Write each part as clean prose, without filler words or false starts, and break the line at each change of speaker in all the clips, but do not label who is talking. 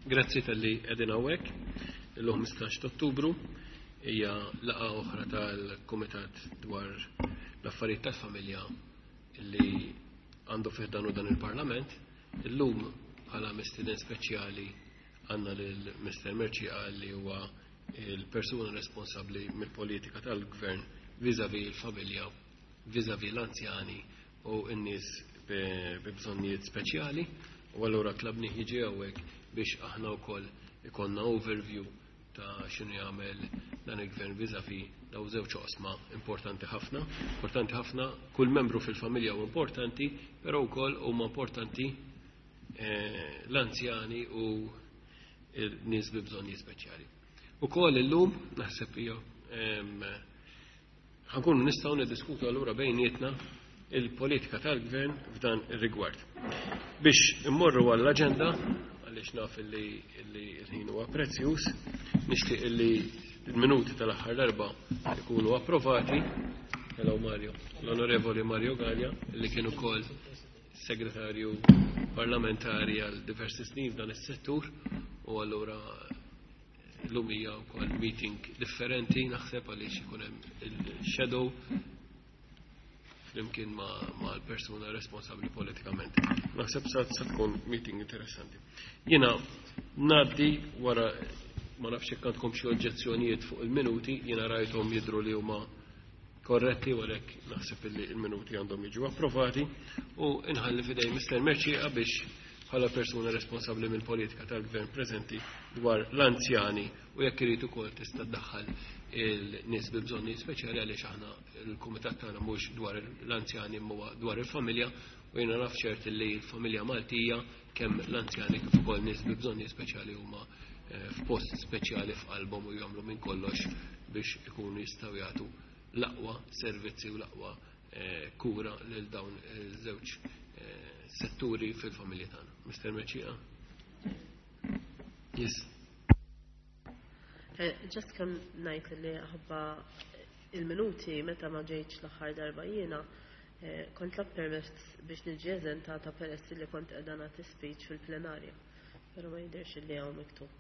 Grazzi talli qegħdin hawnhekk. Illum 15 ta' Ottubru hija laqgħa oħra tal-Kumitat dwar l-affarijiet tal-familja li għandu fih dan u dan il-Parlament. Illum bħala mistieden speċjali għandna lil Mr. Mercieca li huwa il-persuna responsabbli mill-politika tal-gvern vis-à-vis il-familja, vis-à-vis l-anzjani u n-nies bi bżonnijiet speċjali. U allura tlabnih jiġi hawnhekk biex aħna wkoll ikollna overview ta' x'inhu jagħmel dan il-gvern vis-à-vis daw żewġ oqsma importanti ħafna. Importanti ħafna, kull membru fil-familja huwa importanti, però wkoll huma importanti l-anzjani u n-nies bi bżonnijiet speċjali. Ukoll illum naħseb hija ħa nkunu nistgħu niddiskutu allura bejnietna il-politika tal-gvern f'dan ir-rigward. Biex immorru għall-aġenda, għaliex naf li l-ħin huwa prezzjuż, nixtieq li l-minuti tal-aħħar darba ikunu approvati. Hello Mario, l-Onorevoli Mario Galea, li kien ukoll segretarju parlamentari għal diversi snin f'dan is-settur, u allura l-lum hija wkoll meeting differenti naħseb għaliex ikun hemm il-shadow flimkien ma' l-persuna responsabbli politikament. Naħseb sa tkun meeting interessanti. Jiena ngħaddi wara, ma nafx jekk għandkom xi oġġezzjonijiet fuq il-minuti, jiena rajthom jidhru li huma korretti u għalhekk naħseb li l-minuti għandhom jiġu approvati u nħalli f'idej Mr. Mercieca biex bħala persuna responsabbli mill-politika tal-gvern preżenti dwar l-anzjani u jekk irid ukoll tista' tdaħħal il-nies bi bżonnijiet speċjali għaliex aħna il-kumitat tagħna mhux dwar l-anzjani imma dwar il-familja u jiena naf ċert li l-familja Maltija kemm l-anzjani kif ukoll nies bi bżonnijiet speċjali huma f'post speċjali f'qalbhom u jagħmlu minn kollox biex ikunu jistgħu jagħtu l-aqwa servizzi u l-aqwa kura lil dawn iż-żewġ setturi fil-familja tagħna. Mr. Mercieca? Yes.
Just kemm ngħid li ħabba il-minuti meta ma ġejtx l-aħħar darba jiena kont tlab permess biex niġi eżentata peress li kont qiegħda nagħti speech fil-plenarja. Però ma jidhirx li hawn miktub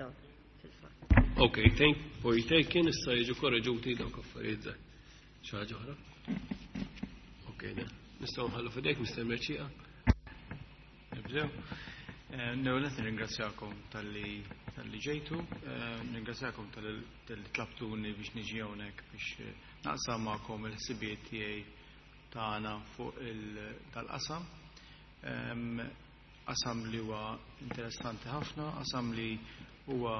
dan fil-fatt.
Ok, thank for taking, issa jiġu korreġuti dawk affarijiet żgħar. Xi ħaġa oħra? Ok, ne. Nistgħu nħallu f'idejk, Mr. Mercieca.
Nibdew. L-ewwel qed nirringrazzjakom talli ġejtu, nirringrazzjakom talli tlabtuni biex niġi hawnhekk biex naqsam magħkom il-ħsibijiet tiegħi tagħna fuq tal-qasam. Qasam li huwa interessanti ħafna, qasam li huwa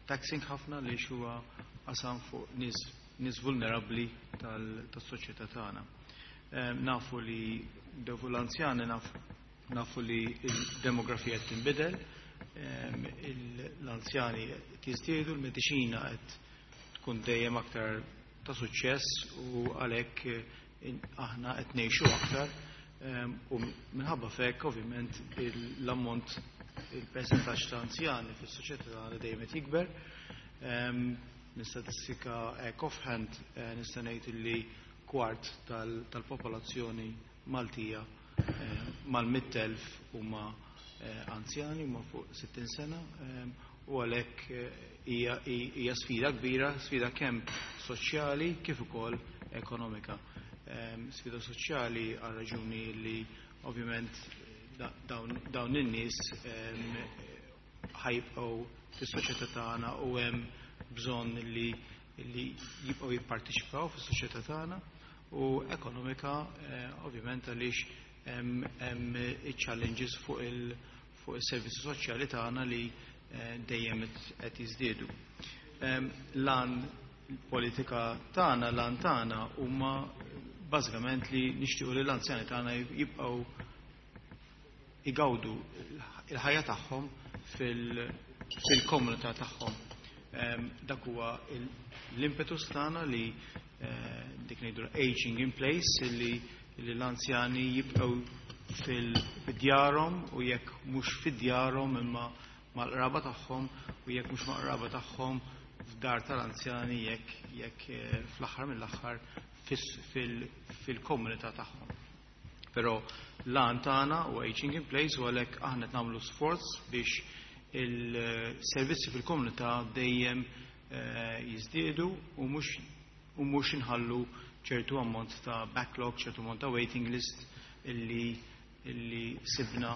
taxing ħafna li huwa qasam fuq nies vulnerabbli tas-soċjetà tagħna. Nafu li dewu l-anzjani, nafu li l-demografija qed tinbidel, l-anzjani qed jiżdiedu, l-mediċina qed tkun dejjem aktar ta' suċċess u għalhekk aħna qed ngħixu aktar u minħabba f'hekk ovvjament l-ammont, il-percentaġġ ta' anzjani fis-soċjetà tagħna dejjem qed jikber. Minn statistika hekk offhand nista' ngħid li kwart tal-popolazzjoni Maltija mal-100,000 huma anzjani, huma fuq 60 sena, u għalhekk hija sfida kbira, sfida kemm soċjali kif ukoll ekonomika. Sfida soċjali għal raġuni li ovvjament dawn in-nies ħajbqgħu fis-soċjetà tagħna u hemm bżonn li jibqgħu jipparteċipaw fis-soċjetà tagħna, u ekonomika ovvjament għaliex hemm iċ-challenges fuq is-servizzi soċjali tagħna li dejjem qed jiżdiedu. Lan politika tagħna, lan tagħna huma bażikament li nixtiequ li l-anzjani tagħna jibqgħu igawdu il-ħajja tagħhom fil-komunità tagħhom. Dak huwa l-impetus tagħna li dik ngħidu aging in place, li l-anzjani jibqgħu fil-djarhom u jekk mhux fid-djarhom imma mal-qraba tagħhom, u jekk mhux mal-qraba tagħhom f'dar tal-anzjani, jekk fl-aħħar mill-aħħar fil-komunità tagħhom. Però L-għan tagħna huwa aging in place u għalhekk aħna qed nagħmlu sforz biex il-servizzi fil-komunità dejjem jiżdiedu u mhux inħallu ċertu ammont ta' backlog, ċertu ammont ta' waiting list illi sibna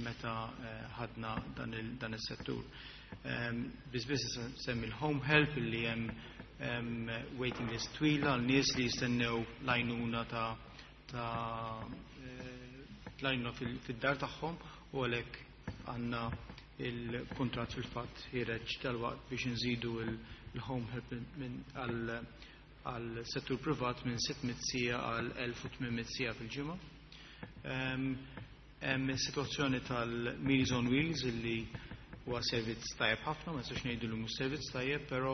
meta ħadna dan is-settur. Biss semmi l-home help illi hemm waiting list twila għal nies li jistennew l-għajnuna ta' l-għajnuna fid-dar tagħhom u għalhekk għandna il-kontrat fil-fatt ħiereġ dalwaqt biex nżidu il-home help minn għal settur privat minn 600 siegħa għal 1800 siegħa fil-ġimgħa. Hemm is-sitwazzjoni tal-Meals on Wheels illi huwa servizz tajjeb ħafna, ma nistax ngħidu li mhux servizz tajjeb, però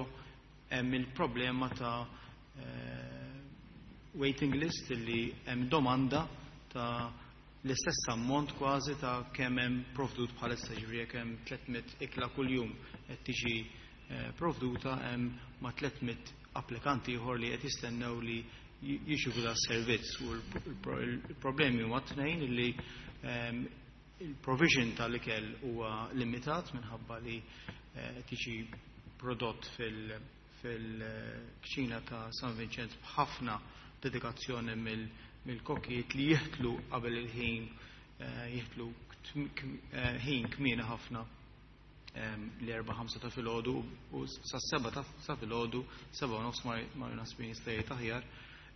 hemm il-problema ta' waiting list illi hemm domanda ta' l-istess ammont kważi ta' kemm hemm provdut bħalissa, ġifieri jekk hemm 300 ikla kuljum qed tiġi provduta, hemm ma' 300 applikanti ieħor li qed jistennew li jirċievu da servizz u l-problemi huma tnejn li il-provision tal-ikel huwa limitat minħabba li tiġi prodott fil-kċina ta' San Vincenz b'ħafna dedikazzjoni mill-kokijiet li jitilgħu qabel il-ħin, jitilgħu ħin kmieni ħafna, l-4-5 ta' filgħodu u sa' 7 ta' filgħodu, 7:30 ma nasbin jista' jgħid aħjar,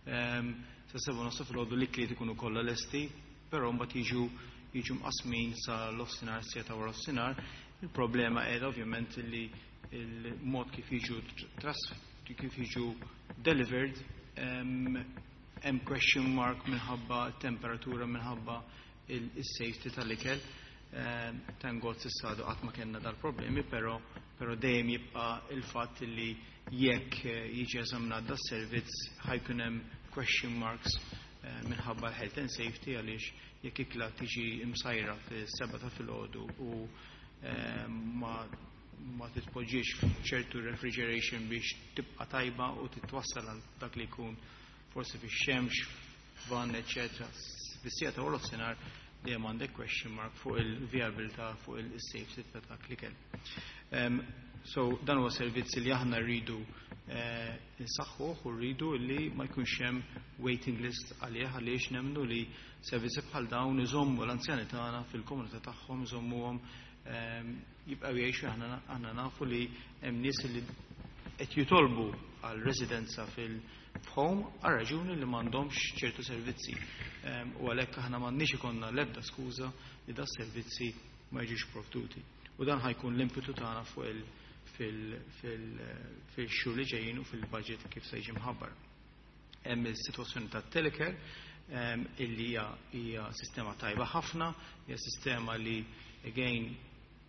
sa' 7:30 ta' filgħodu l-ikliet ikunu kollha lesti, però mbagħad jiġu mqasmin sa l-offsinar, siegħa ta' wara offsinar. Il-problema qiegħda ovvjament li il-mod kif jiġu delivered hemm question mark minħabba temperatura, minħabba il-safety tal-ikel. Thank God s'issa għadu qatt ma kellna dal-problemi, però dejjem jibqa' il-fatt li jekk jiġi eżaminat da servizz ħa jkun hemm question marks minħabba l-health and safety, għaliex jekk ikla tiġi imsajra fis-7 ta' filgħodu u ma titpoġġiex f'ċertu refrigeration biex tibqa' tajba u titwassal għal dak li jkun forsi fix-xemx, f'van, eċetera. Fis-siegħa ta' nofsinhar dejjem għandek question mark fuq il-viabilità, fuq il-safety ta' dak l-ikel. So dan huwa servizz li aħna rridu insaħħuh u rridu li ma jkunx hemm waiting list għalih, għaliex nemmnu li servizzi bħal dawn iżommu l-anzjani tagħna fil-komunità tagħhom, iżommuhom jibqgħu jgħixu. Aħna nafu li hemm nies li qed jitolbu għal residenza fil-home għal raġuni li m'għandhomx ċertu servizzi. U għalhekk aħna m'għandniex ikollna l-ebda skuża li da servizzi ma jiġux provduti. U dan ħa jkun l-impetu tagħna fuq il fil-xhur li ġejjin u fil-budget kif se jiġi mħabbar. Hemm is-sitwazzjoni tat-telecare illi hija sistema tajba ħafna, hija sistema li again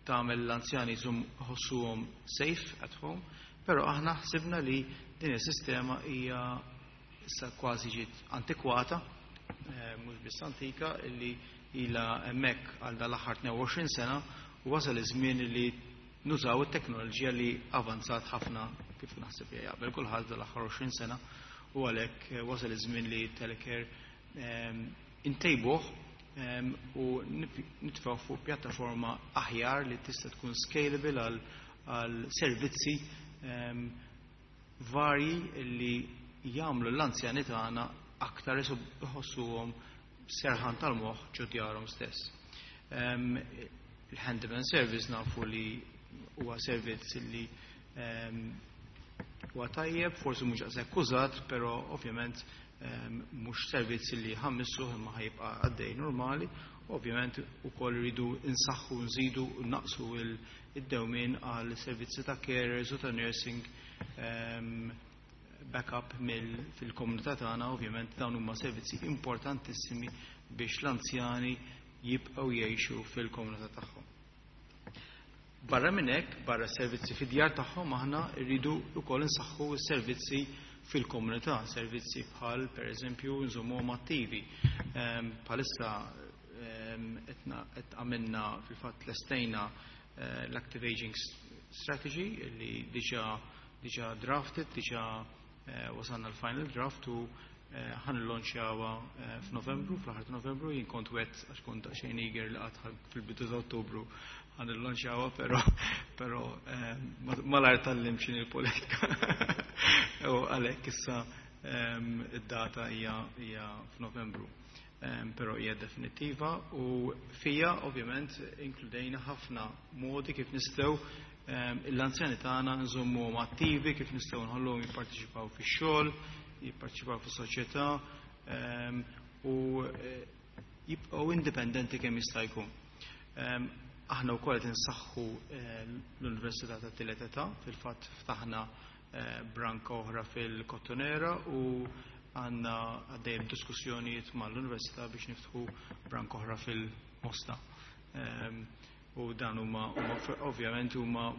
tagħmel l-anzjani jħossuhom safe at home, però aħna ħsibna li din is-sistema hija issa kważi ġiet antikwata, mhux biss antika, illi ilha hemmhekk għal dal-aħħar 22 sena u wasal iż-żmien li nużaw it-teknoloġija li avanzat ħafna, kif naħseb jaqbel kulħadd, dal-aħħar 20 sena u għalhekk wasal iż-żmien li telecare intejbuh u nitfgħu fuq pjattaforma aħjar li tista' tkun scalable għal servizzi varji li jagħmlu l-anzjani tagħna aktar iħossuhom serħan tal-moħħ ġo djarhom stess. Il-handyman service nafu li huwa servizz li huwa tajjeb, forsi mhux daqshekk użat, però ovvjament mhux servizz li ħa mmissu imma ħa jibqa' għaddej normali. Ovvjament ukoll rridu insaħħu, nżidu u naqsu id-dewmien għal servizzi ta' carers u ta' nursing backup fil-komunità tagħna. Ovvjament dawn huma servizzi importantissimi biex l-anzjani jibqgħu jgħixu fil-komunità tagħhom. Barra minn hekk, barra servizzi fid-djar tagħhom, aħna rridu wkoll insaħħu s-servizzi fil-komunità, servizzi bħal pereżempju nżommuhom attivi. Bħalissa qed għamilna, fil-fatt lestejna l-Active Aging Strategy li diġà drafted, diġà wasalna l-final draft u Ħa nillonċjawha f'Novembru, fl-aħħar ta' Novembru. Jien kont wet għax kont daqsxejn eager li qatt fil-bidu ta' Ottubru ħa nillonċjawha, però malajr tgħallimt x'inhi l-politika. U għalhekk issa id-data hija f'Novembru. Però hija definittiva u fija ovvjament inkludejna ħafna modi kif nistgħu l-anzjani tagħna nżommuhom attivi, kif nistgħu nħalluhom jipparteċipaw fix-xogħol, jipparteċipaw fis-soċjetà u jibqgħu indipendenti kemm jista' jkun. Aħna wkoll qed insaħħu l-Università tat-Tielet Età, fil-fatt ftaħna branka oħra fil-Kottonera u għandna għaddejjem diskussjonijiet mal-Università biex niftħu branka oħra fil-Mosta. U dan huma ovvjament huma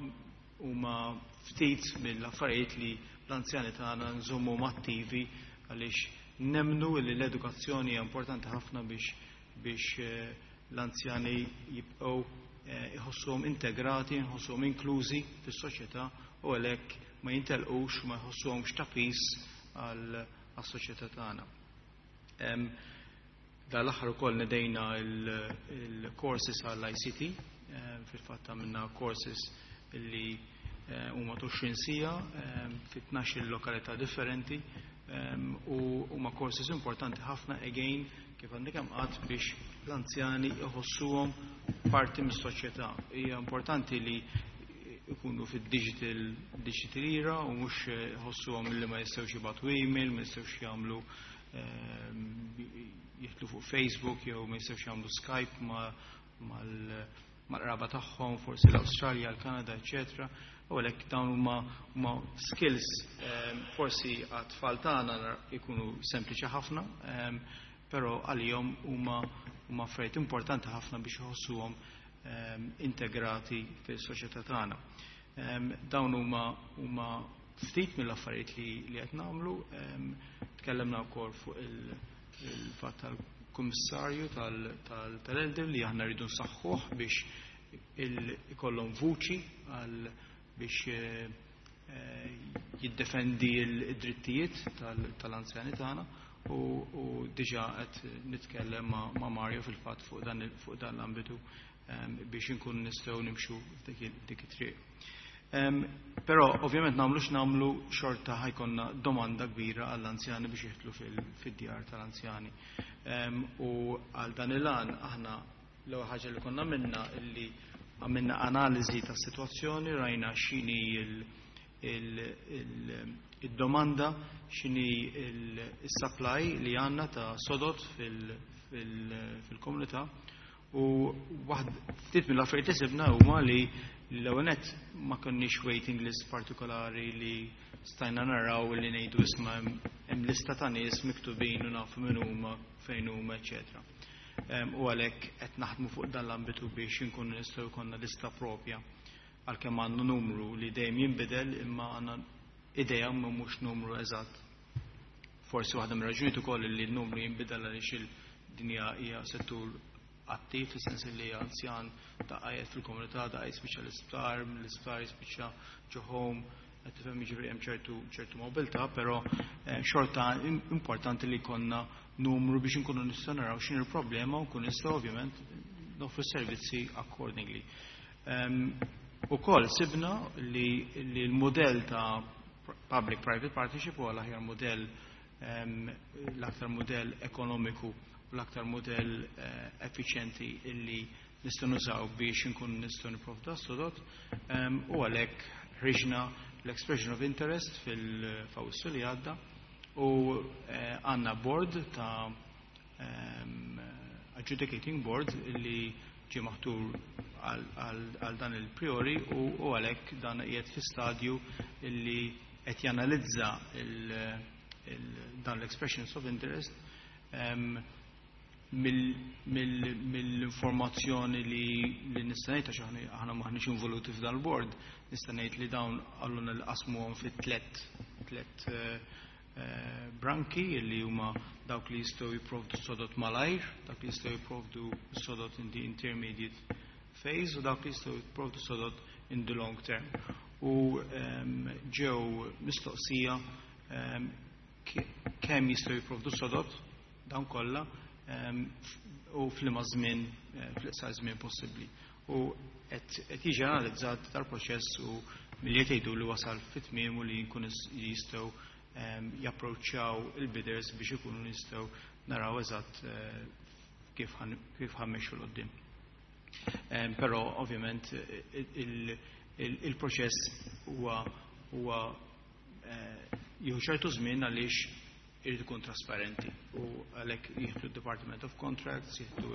ftit mill-affarijiet li l-anzjani tagħna nżommuhom attivi, għaliex nemmnu li l-edukazzjoni hija importanti ħafna biex l-anzjani jibqgħu iħossuhom integrati, jħossuhom inklużi fis-soċjetà u għalhekk ma jintelqux, ma jħossuhomx ta' piż għas-soċjetà tagħna. Dal-aħħar ukoll nedejna il-courses għall-ICT, fil-fatt għamilna courses li huma 20 siegħa fi 12 lokalità differenti u huma courses importanti ħafna, again, kif għandi kemm qatt, biex l-anzjani iħossuhom parti mis-soċjetà. Hija importanti li ikunu fid-digital digital era u mhux iħossuhom li ma jistgħux jibgħatu email, ma jistgħux jagħmlu jidħlu fuq Facebook jew ma jistgħux jagħmlu Skype mal-qraba tagħhom, forsi l-Awstralja, l-Kanada, eċetera. U għalhekk dawn huma skills forsi għat-tfal tagħna jkunu sempliċi ħafna, però għalihom huma affarijiet importanti ħafna biex iħossuhom integrati fis-soċjetà tagħna. Dawn huma ftit mill-affarijiet li qed nagħmlu. Tkellimna wkoll fuq il-fatt tal-kummissarju tal-elder li aħna rridu nsaħħuh biex ikollhom vuċi għal biex jiddefendi l-drittijiet tal-anzjani tagħna u diġà qed nitkellem ma' Mario fil-fatt fuq dan l-ambitu biex inkun nistgħu nimxu dik it-triq. Però ovvjament nagħmlu x'nagħmlu, xorta ħa jkollna domanda kbira għall-anzjani biex jidħlu fid-djar tal-anzjani. U għal dan il-għan aħna l-ewwel ħaġa li konna minna illi għamilna analiżi tas-sitwazzjoni, rajna x'inhi il-domanda, x'inhi il-supply li għandna ta' sodod fil-komunità u waħd ftit mill-affarijiet li sibna huma li l-ewwel nett ma konniex waiting list partikolari li stajna naraw li ngħidu, "Isma', hemm lista ta' nies miktubin u nafu min huma, fejn huma, eċetera." U għalhekk qed naħdmu fuq dan l-ambitu biex inkunu nistgħu jkollna lista propja, għalkemm għandna numru li dejjem jinbidel, imma għandna idea ma mhux numru eżatt. Forsi waħda mir-raġunijiet ukoll li l-numru jinbidel għaliex il-dinja hija settur attiv, fis-sens li anzjan daqqa fil-komunità, daqqa jispiċċa l-isptar, l-isptar jispiċċa ġo home, qed tifhem, jiġifieri hemm ċertu mobilità, però xorta importanti li jkollna numru biex inkunu nistgħu naraw x'inhi l-problema u nkunu nistgħu ovvjament noffru servizzi accordingly. Ukoll sibna li l-modell ta' public-private partnership huwa l-aħjar modell, l-aktar modell ekonomiku u l-aktar modell effiċjenti illi nistgħu nużaw biex inkunu nistgħu nipprovdu sodod u għalhekk ħriġna l-expression of interest fil-Fawwissu li għadda u għandna board ta' adjudicating board li ġie maħtur għal dan il-priori u għalhekk dan qiegħed fi stadju illi qed janalizza dan l-expressions of interest. Mill-informazzjoni li nista' ngħid, għax aħna maħniex involuti f'dan il-board, nista' ngħid li dawn għalluna li qasmuhom fi tlet branki li huma dawk li jistgħu jipprovdu sodod malajr, dawk li jistgħu jipprovdu sodod in the intermediate phase u dawk li jistgħu jipprovdu sodod in the long term. U ġew mistoqsija. kemm jistgħu jipprovdu sodod dawn kollha u f'liema żmien, fl-iqsar żmien possibbli. U qed jiġi analizzat dal-proċess u milli qed jgħidu li wasal fit-tmiem u li jkun jistgħu japproċċjaw il-bidders biex ikunu nistgħu naraw eżatt kif ħa mmexxu 'l quddiem. Però ovvjament il-proċess huwa jieħu ċertu żmien għaliex irid ikun trasparenti u għalhekk jieħdu d-Department of Contracts, jieħdu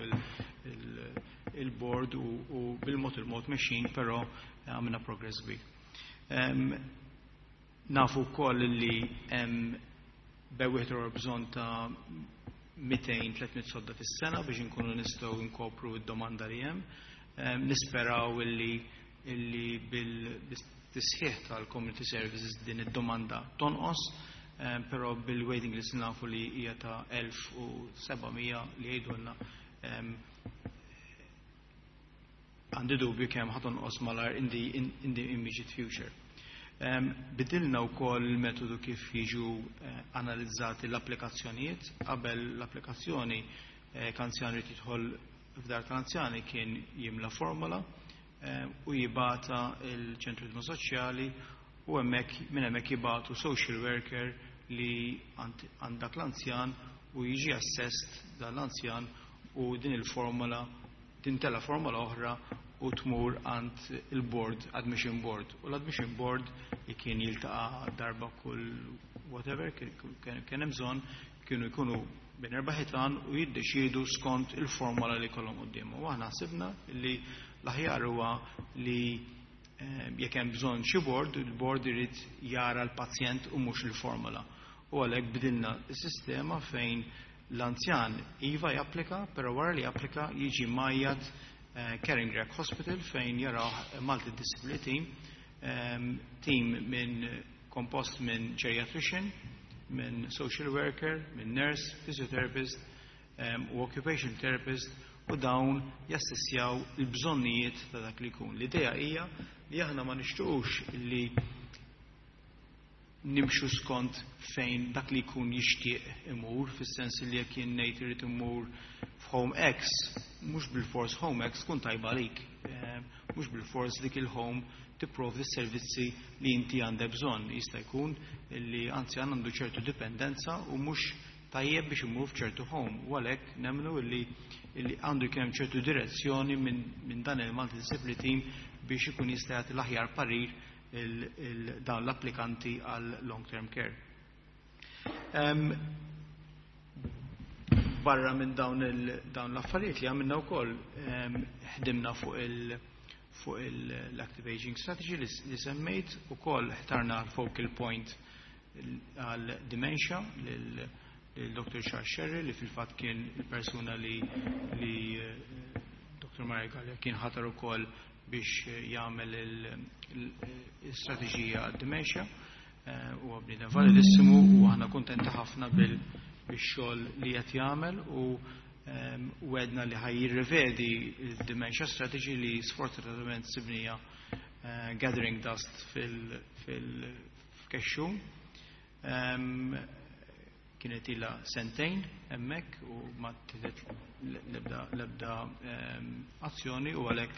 il-board u bil-mod il-mod mexjin, però għamilna progress kbir. Nafu wkoll li hemm bejn wieħed bżonn ta' 200-300 sodda fis-sena biex inkunu nistgħu nkopru d-domanda li hemm. Nisperaw illi bil-tisħiħ tal-community services din id-domanda tonqos, però bil-waiting list nafu li hija ta' 1700 li jgħidulna, għandi dubju kemm ħa tonqos malajr in the immediate future. Bidilna wkoll il-metodu kif jiġu analizzati l-applikazzjonijiet. Qabel l-applikazzjoni, anzjan irid jidħol f'dar tal-anzjani kien jimla formola u jibgħatha il-ċentru soċjali u hemmhekk minn hemmhekk jibagħtu social worker li għandak l-anzjan u jiġi assessed dan l-anzjan u din il-formola tintela formola oħra u tmur għand il-board, admission board. U l-admission board li kien jiltaqa' darba kull whatever, kien hemm bżonn, kienu jkunu bejn erba' ħitan u jiddeċiedu skont il-formola li kollhom qudiemhom. U aħna ħsibna li l-aħjar huwa li jekk hemm bżonn xi board, il-board irid jara l-pazjent u mhux il-formola. U għalhekk bidilna s-sistema fejn l-anzjan iva japplika, però wara li japplika jiġi mgħajjat Caring Rec Hospital fejn jaraw multidisciplinary team, team minn kompost minn geriatrician, minn social worker, minn nurse, physiotherapist u occupation therapist u dawn jassessjaw il-bżonnijiet ta' dak li jkun. L-idea hija li aħna ma nixtuqux li nimxu skont fejn dak li jkun jixtieq imur, fis-sens li jekk jien ngħid irid imur f'Home X, mhux bil-fors Home X tkun tajba għalik. Mhux bil-fors dik il-home tipprovdi s-servizzi li inti għandek bżonn. Jista' jkun li anzjan għandu ċertu dipendenza u mhux tajjeb biex imur f'ċertu home. U għalhekk nemmnu li għandu jkun hemm ċertu direzzjoni minn dan il-multidisciplinary team biex ikun jista' jagħti l-aħjar parir dawn l-applikanti għal long-term care. Barra minn dawn l-affarijiet li għamilna wkoll, ħdimna fuq l-Active Aging Strategy li semmejt, ukoll ħtarna l-focal point għal dementia lil Dr. Charles Scerri, li fil-fatt kien il-persuna li Dr. Mario Galea kien ħatar ukoll biex jagħmel il-strateġija għad-dementia. Huwa bniedem validissimu u aħna kuntenti ħafna bil-xogħol li qed jagħmel u għedna li ħa jirrevedi il-dementia strategy li sfortunatament sibnieha gathering dust fil-kexxun. Kienet ila sentejn hemmhekk u ma ttieħdet l-ebda azzjoni u għalhekk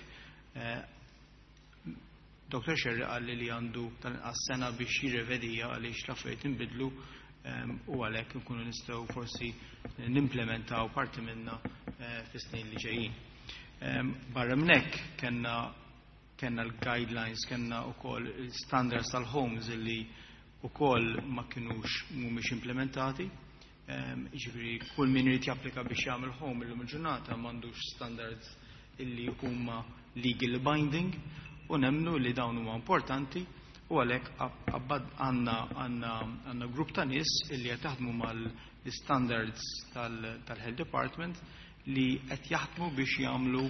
Dr. Scerri qalli li għandu tal-inqas sena biex jirrevedija għaliex l-affarijiet inbidlu u għalhekk nkunu nistgħu forsi nimplementaw parti minna fis-snin li ġejjin. Barra minn hekk kellna l-guidelines, kellna wkoll il-standards tal-homes li wkoll ma kinux mhumiex implementati. Jiġifieri kull min irid japplika biex jagħmel home illum il-ġurnata m'għandux standards illi huma legal binding u nemmnu li dawn huma importanti u għalhekk għandna grupp ta' nies illi qed jaħdmu mal-standards tal-Health Department li qed jaħdmu biex jagħmlu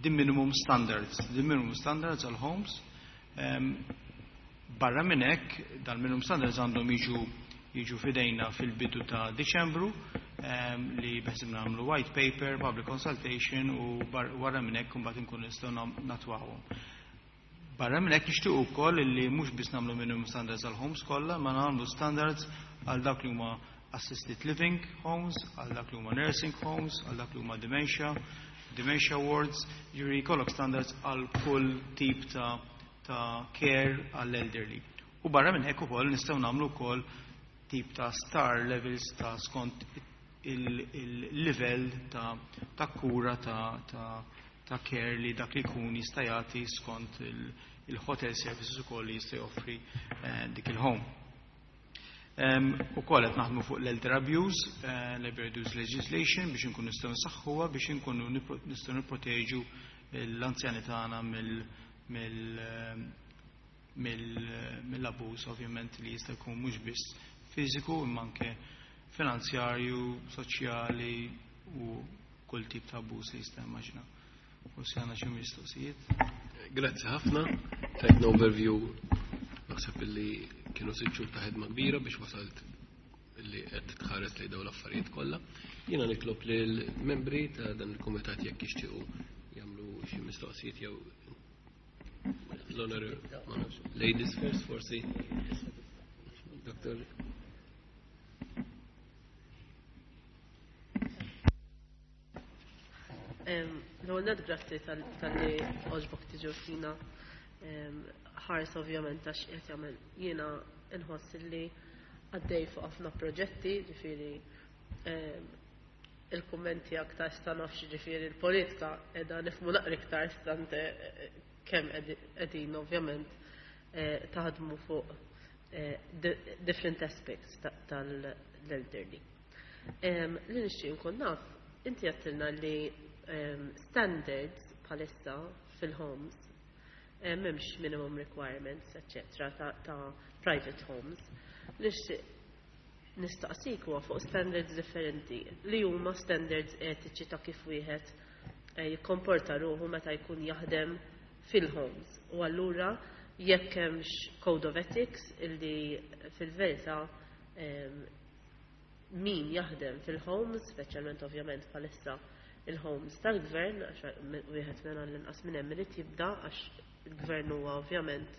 the minimum standards, the minimum standards għal homes. Barra minn hekk, dal-minimum standards għandhom jiġu fidejna fil-bidu ta' Diċembru, li beħsibna nagħmlu white paper, public consultation u wara minn hekk imbagħad inkunu nistgħu natwawhom. Barra minn hekk nixtiequ wkoll li mhux biss nagħmlu minimum standards għal homes kollha, ma nagħmlu standards għal dak li huma assisted living homes, għal dak li huma nursing homes, għal dak li huma dementia, dementia wards, jiġifieri jkollok standards għal kull tip ta' ta' care għall-elderly. U barra minn hekk ukoll nistgħu nagħmlu wkoll tip ta' star levels ta' skont il-livell ta' ta' kura ta' ta' ta' care li dak li jkun jista' jagħti skont il-hotel services ukoll li jista' joffri dik il-home. Ukoll qed naħdmu fuq l-elder abuse, l-elder abuse legislation biex inkunu nistgħu nsaħħuha biex inkunu nistgħu nipproteġu l-anzjani tagħna mill-abbuż ovvjament li jista' jkun mhux biss fiżiku imma anke finanzjarju, soċjali u kull tip ta' abbuż li jista' immaġina. Forsi għandna xi mistoqsijiet.
Grazzi ħafna, tajtna overview naħseb illi kienu 6 xhur ta' ħidma kbira biex wasalt illi qed tħares lejn dawn l-affarijiet kollha. Jiena nitlob lil membri ta' dan il-kumitat jekk jixtiequ jagħmlu xi mistoqsijiet jew l-honor, ma nafx, ladies first forsi. Doktor.
L-ewwel nett grazzi talli għoġbok tiġu fina ħars ovvjament għax qed jagħmel jiena nħoss li għaddej fuq ħafna proġetti, ġifieri il-kummenti aktar sta nafx ġifieri l-politika qiegħda nifhmu naqra iktar stante kemm qegħdin ovvjament taħdmu fuq different aspects tal-elderly. Li nixtieq nkun naf, inti għedtilna li standards bħalissa fil-homes m'hemmx minimum requirements, etc. ta' private homes. Nixtieq nistaqsik huwa fuq standards differenti li huma standards etiċi ta' kif wieħed jikkomporta ruħu meta jkun jaħdem fil-homes. U allura jekk hemmx code of ethics illi fil-verità min jaħdem fil-homes, speċjalment ovvjament bħalissa il-homes tal-gvern, għax wieħed minn l-inqas minn hemm irid jibda għax il-gvern huwa ovvjament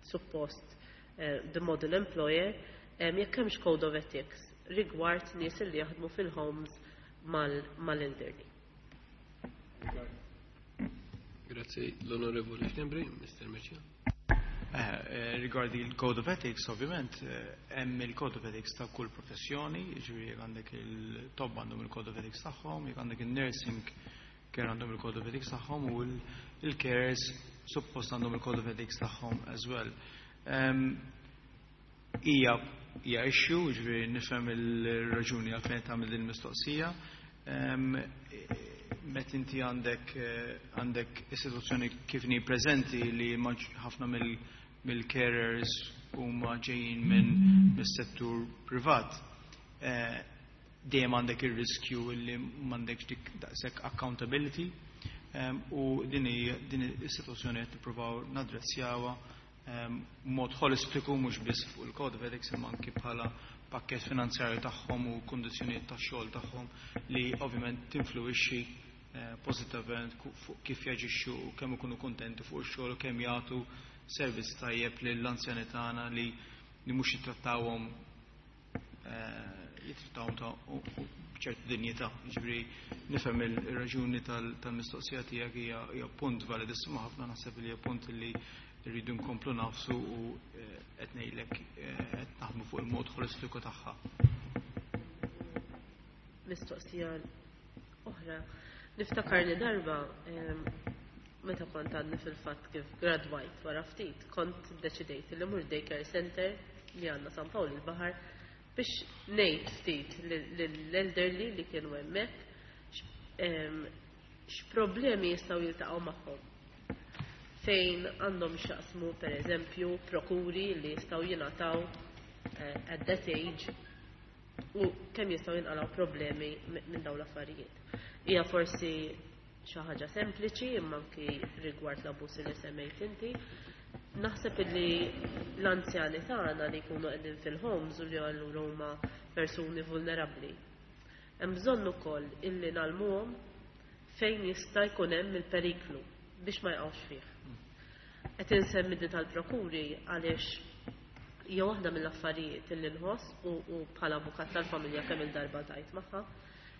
suppost the model employer, jekk hemmx code of ethics rigward nies li jaħdmu fil-homes mal-elderly.
Grazie, l-Onorevoli Schembri, Mr. Mercieca.
Rigwardi il-Code of Ethics, ovvjament, hemm il-Code of Ethics ta' kull professjoni, jiġifieri jekk għandek il-tobba għandhom il-Code of Ethics tagħhom, jekk għandek il-nursing care għandhom il-Code of Ethics tagħhom u il-carers suppost għandhom il-Code of Ethics tagħhom as well. Hija issue, jiġifieri nifhem il-raġuni għalfejn tagħmel din il-mistoqsija. Met inti għandek istituzzjoni kif ni preżenti li ħafna mill-carers huma ġejjin minn mis-settur privat. Dejjem għandek ir-riskju li m'għandekx dik daqshekk accountability u din is-sitwazzjoni qed nippruvaw nadressjawha mod holistiku mhux biss fuq il-Code of Ethics imma anki bħala pakkett finanzjarju tagħhom u kundizzjonijiet tax-xogħol tagħhom li ovvjament tinfluwixxi pożittivament fuq kif jaġixxu u kemm ikunu kuntenti fuq ix-xogħol u kemm jagħtu servizz tajjeb lill-anzjani tagħna li mhux jittrattawhom jittrattawhom ta' b'ċertu dinjità. Jiġifieri nifhem ir-raġuni tal-mistoqsija tiegħek hija punt validissima ħafna, naħseb li hija punt li rridu nkomplu nafsu u qed ngħidlek qed naħdmu fuq il-mod holistiku tagħha.
Mistoqsija oħra. Niftakar li darba meta kont għadni fil-fatt kif gradwajt wara ftit, kont deċidejt li mur daycare center li għandna San Pawl il-Baħar biex ngħid ftit lill-elderly li kienu hemmhekk x'problemi jistgħu jiltaqgħu magħhom. Fejn għandhom x'jaqsmu pereżempju prokuri li jistgħu jingħataw at that age u kemm jistgħu jinqalgħu problemi minn dawn l-affarijiet. Hija forsi xi ħaġa sempliċi imma anki rigward l-abbuż li semmejt inti. Naħseb illi l-anzjani tagħna li jkunu qegħdin fil-homes u li allura huma persuni vulnerabbli. Hemm bżonn ukoll illi nagħlmuhom fejn jista' jkun hemm il-periklu biex ma jqgħux fih. Qed insemmi din tal-prokuri għaliex hija waħda mill-affarijiet li nħoss u bħala avukat tal-familja kemm il-darba tajt magħha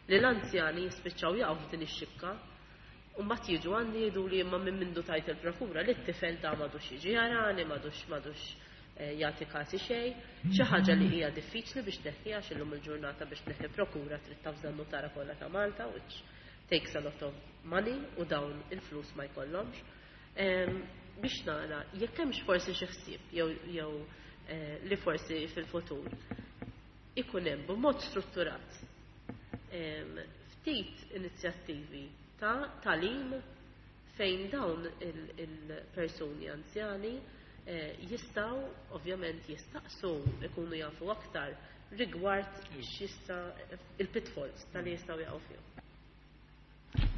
li l-anzjani jispiċċaw jaqgħu f'din ix-xibka u mbagħad jiġu għandi jgħidu li imma minn mindu tajt il-prokura li t-tifel da m'għadux jiġi jarani, m'għadux jagħti kasi xejn, xi ħaġa li hija diffiċli biex tneħħiha għax illum il-ġurnata biex tneħħi prokura trid tafża n-nutara kollha ta' Malta, which takes a lot of money u dawn il-flus ma jkollhomx. Biex nara jekk hemmx forsi xi ħsieb jew li forsi fil-futur ikun hemm b'mod strutturat ftit inizjattivi ta' tagħlim fejn dawn il-persuni anzjani jistgħu ovvjament jistaqsu ikunu jafu aktar rigward x'jista' il-pitfalls tal jistgħu jaqgħu fihom.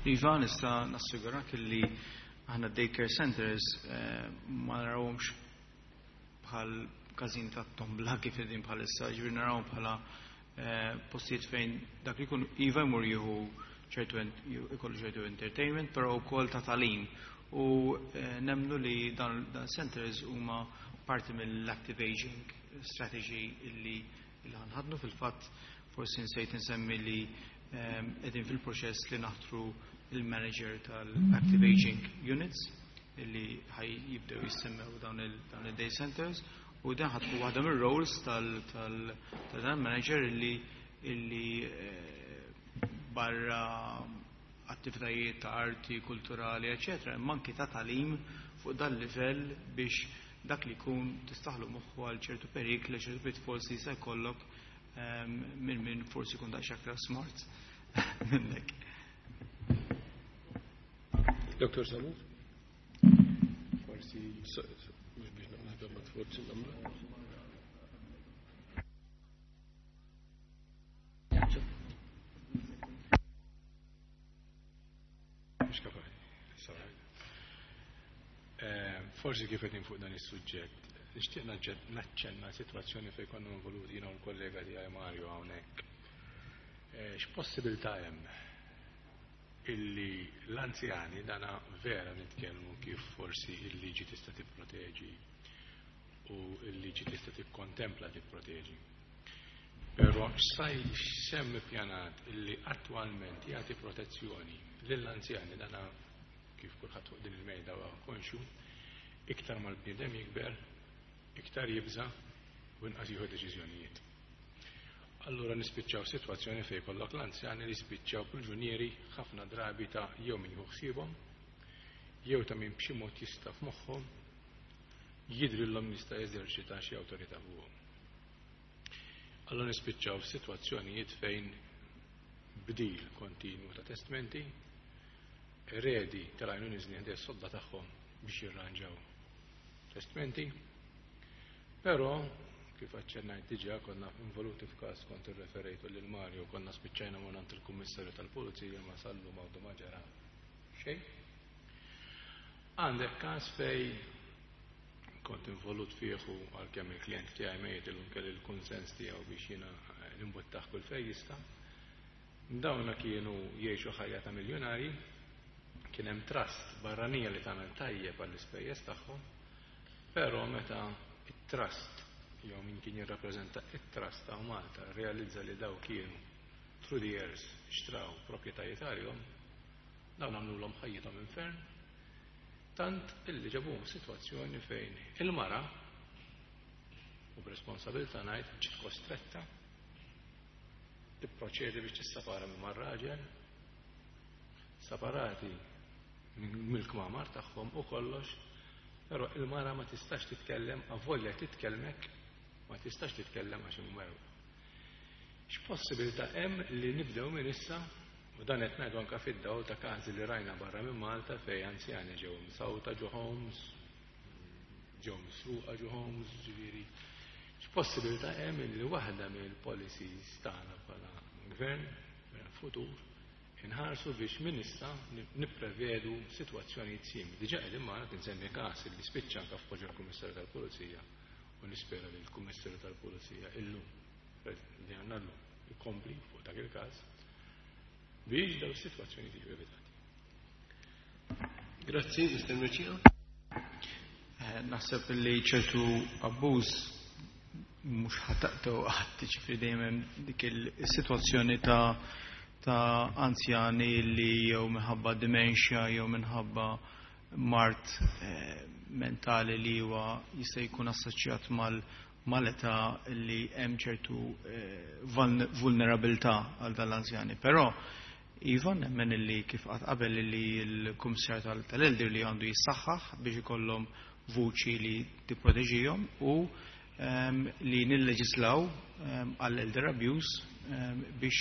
Iva, nista' nassigurak li aħna daycare centers ma narawhomx bħal każin ta' tombla kif qegħdin bħalissa, ġifieri narawhom bħala postijiet fejn dak li jkun iva jmur jieħu ċertu ikollu ċertu entertainment, però wkoll ta' tagħlim. U nemmnu li dan centers huma parti mill-active aging strategy illi ħanħadnu. Fil-fatt forsi nsejt insemmi li qegħdin fil-proċess li naħtru il-manager tal-active aging units illi ħaj jibdew jissemmew dawn il-day centers, u dan ħa tkun waħda mir-roles tal-dan manager illi barra attivitajiet ta' arti, kulturali, eccetera, imma anki ta' tagħlim fuq dan livell biex dak li jkun tistaħlu moħħu għal ċertu perikli, ċertu pitfalls li se jkollok minn forsi jkun daqs aktar smart minnek.
Dr. Samut? Forsi, mhux biex naqbel ma tforzi nagħmlu.
Mhux kapaċi. Forsi kif qegħdin fuq dan is-suġġett, nixtieq naċċenna sitwazzjoni fejn konna involuti jiena u l-kollega tiegħi Mario hawnhekk. X'possibilità hemm illi l-anzjani, dana vera nitkellmu kif forsi il-liġi tista' tipproteġi u l-liġi tista' tikkontempla tipproteġi. Però x'saj x'hemm ippjanat illi attwalment jagħti protezzjoni lill-anzjani, dana kif kulħadd fuq din il-mejda huwa konxju, iktar mal-bniedem jikber, iktar jibża' u inqas jieħu deċiżjonijiet. Allura nispiċċaw sitwazzjoni fejn kollok l-anzjani li spiċċaw priġunieri ħafna drabi ta' jew min jieħu ħsiebhom, jew ta' min b'xi mod jista' f'moħħhom jidhrilhom jista' jeżerċita xi awtorità fuqhom. Allura nispiċċaw f'sitwazzjonijiet fejn bdil kontinwu ta' testmenti, eredi tal-għajnun iżni ħdej sodda tagħhom biex jirranġaw testmenti, però kif aċċennajt diġà konna involuti f'każ kont irreferejtu lil Mario, konna spiċċajna minn il-Kummissarju tal-Pulizija ma sallu għadu ma ġara xejn. Għandek każ fej kont involut fih u għalkemm il-klient tiegħi mejjet illum kelli l-kunsens tiegħu biex jiena nimbuttaħ kull fejn jista'. Dawna kienu jgħixu ħajja ta' miljonari, kien hemm trust barranija li tagħmel tajjeb għall-ispejjeż tagħhom, però meta it-trust jew min kien jirrappreżenta it-trust ta' Malta realizza li daw kienu through the years xtraw proprjetajiet għalihom, dawn għamlulhom ħajjithom infern, tant illi ġabuhom f'sitwazzjoni fejn il-mara u b'responsabilità ngħid ġiet kostretta tipproċedi biex tissapara minn mar-raġel, separati mill-kmamar tagħhom u kollox, però il-mara ma tistax titkellem, avolja titkellmek, ma tistax titkellem għax imwerw. X'possibilità hemm li nibdew minn issa, u dan qed ngħidu anke fid-dawl ta' każi li rajna barra minn Malta fejn anzjani ġew msawta ġo homes, ġew misruqa ġo homes, ġifieri. X'possibilità hemm li waħda mill-policies tagħna bħala gvern futur inħarsu biex minn issa nipprevedu sitwazzjonijiet simili. Diġà qegħdin magħna tinsemmi każ li spiċċa anke f'poġġa l-Kummissarju tal-Pulizija u nispera li l-Kummissarju tal-Pulizija illum li għandna llum ikompli fuq dak il-każ biex daw is-sitwazzjoni jiġu evitati.
Grazzi, Mr. Mercieca.
Naħseb li ċertu abbuż mhux ħa taqtgħu qatt, ġifieri dejjem hemm dik il-sitwazzjoni ta' anzjani li jew minħabba dementia jew minħabba mard mentali li huwa jista' jkun assoċjat mal-età li hemm ċertu vulnerabilità għal dan l-anzjani. Però iva, nemmen li kif qatt qabel li l-Kummissar tal-Elderly għandu jissaħħaħ biex ikollhom vuċi li tipproteġihom u li nilleġislaw għall-elder abuse biex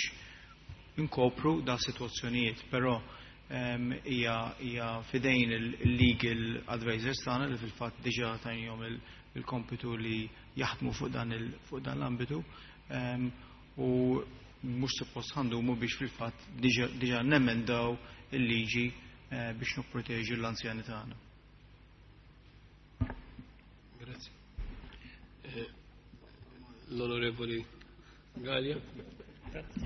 inkopru da situazzjonijiet, però hija fidejn il-legal advisors tagħna li fil-fatt diġà tajnihom il-kompitu li jaħdmu fuq dan l-ambitu u mhux suppost ħa ndumu biex fil-fatt diġà nemendaw il-liġi biex nipproteġu l-anzjani tagħna.
Grazie. L-Onorevoli Galea.
Grazie.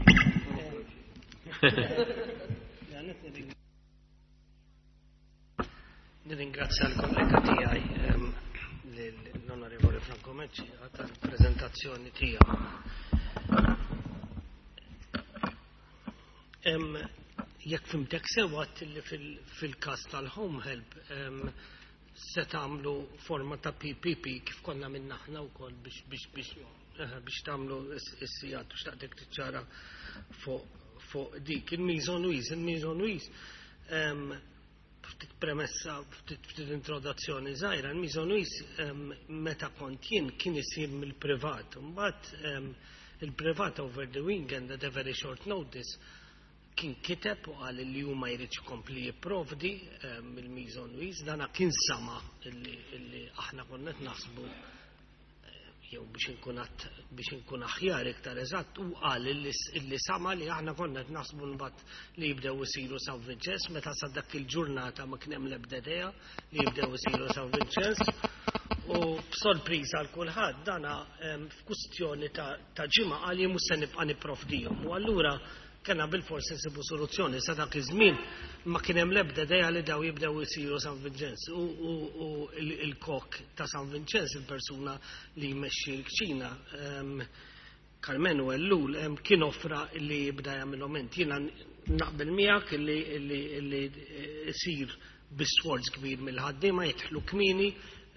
Nirringrazzja l-kollega tiegħi, l-Onorevoli Franco Mercieca, tal-prezentazzjoni tiegħu. Jekk fhimtek sew, li fil-każ tal-home help se tagħmlu forma ta' PPP kif konna minna aħna wkoll biex tagħmlu is-sigħat u xtaqtek tiċċara fuq dik. Il-Meals on Wheels, il-Meals on Wheels, ftit premessa, ftit introduzzjoni żgħira, il-Meals on Wheels meta kont jien kien isir mill-privat. Mbagħad il-privat over the weekend at a very short notice kien kiteb u qal li huma jrid ikompli jipprovdi il-Meals on Wheels. Dana kien sama illi aħna konna qed naħsbu jew biex inkun aħjar, iktar eżatt, u qal illi sama li aħna konna qed naħsbu mbagħad li jibdew isiru San Vinċenz meta sa dak il-ġurnata ma kien hemm l-ebda idea li jibdew isiru San Vinċenz. U b'sorpriża għal kulħadd dana f'kustjoni ta' ġimgħa qal jien mhux se nibqa' nipprovdihom. U allura kena bil-forsi nsibu soluzzjoni. Sa dak iż-żmien ma kien hemm l-ebda idea li daw jibdew isiru San Vinċenz. U il-kok ta' San Vinċenz, il-persuna li jmexxi l-kċina, Carmenu Ellul, kien offra li jibda jagħmilhom int. Jiena naqbel miegħek li isir bi sforz kbir mill-ħaddiema, jidħlu kmieni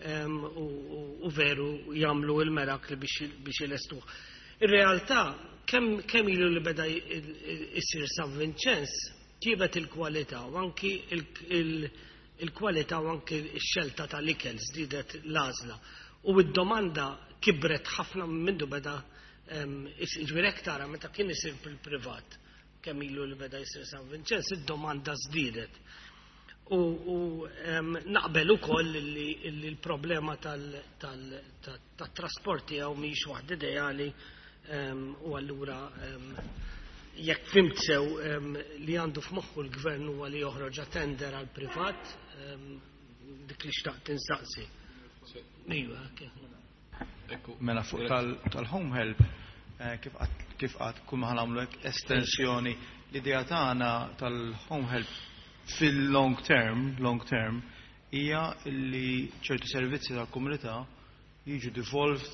u veru jagħmlu il-merakli biex ilestuh. Ir-realtà, kemm ilu li beda isir San Vinċenz, tjiebet il-kwalità u anki il-kwalità u anki x-xelta tal-ikel, żdiedet l-għażla. U id-domanda kibret ħafna mindu beda ġifieri tara meta kien isir fil-privat, kemm ilu li beda jsir San Vinċenz, id-domanda żdiedet. U naqbel ukoll li l-problema tat-trasporti hawn mhix waħda ideali u allura jekk fhimt sew, li għandu f'moħħu l-gvern huwa li joħroġ tender għal privat, dik li xtaqt insaqsi. Iva.
Mela fuq tal-home help, kif qatt kull ma nagħmlu estensjoni, l-idea tagħna tal-home help fil-long term, long term, hija li ċertu servizzi tal-komunità jiġu devolved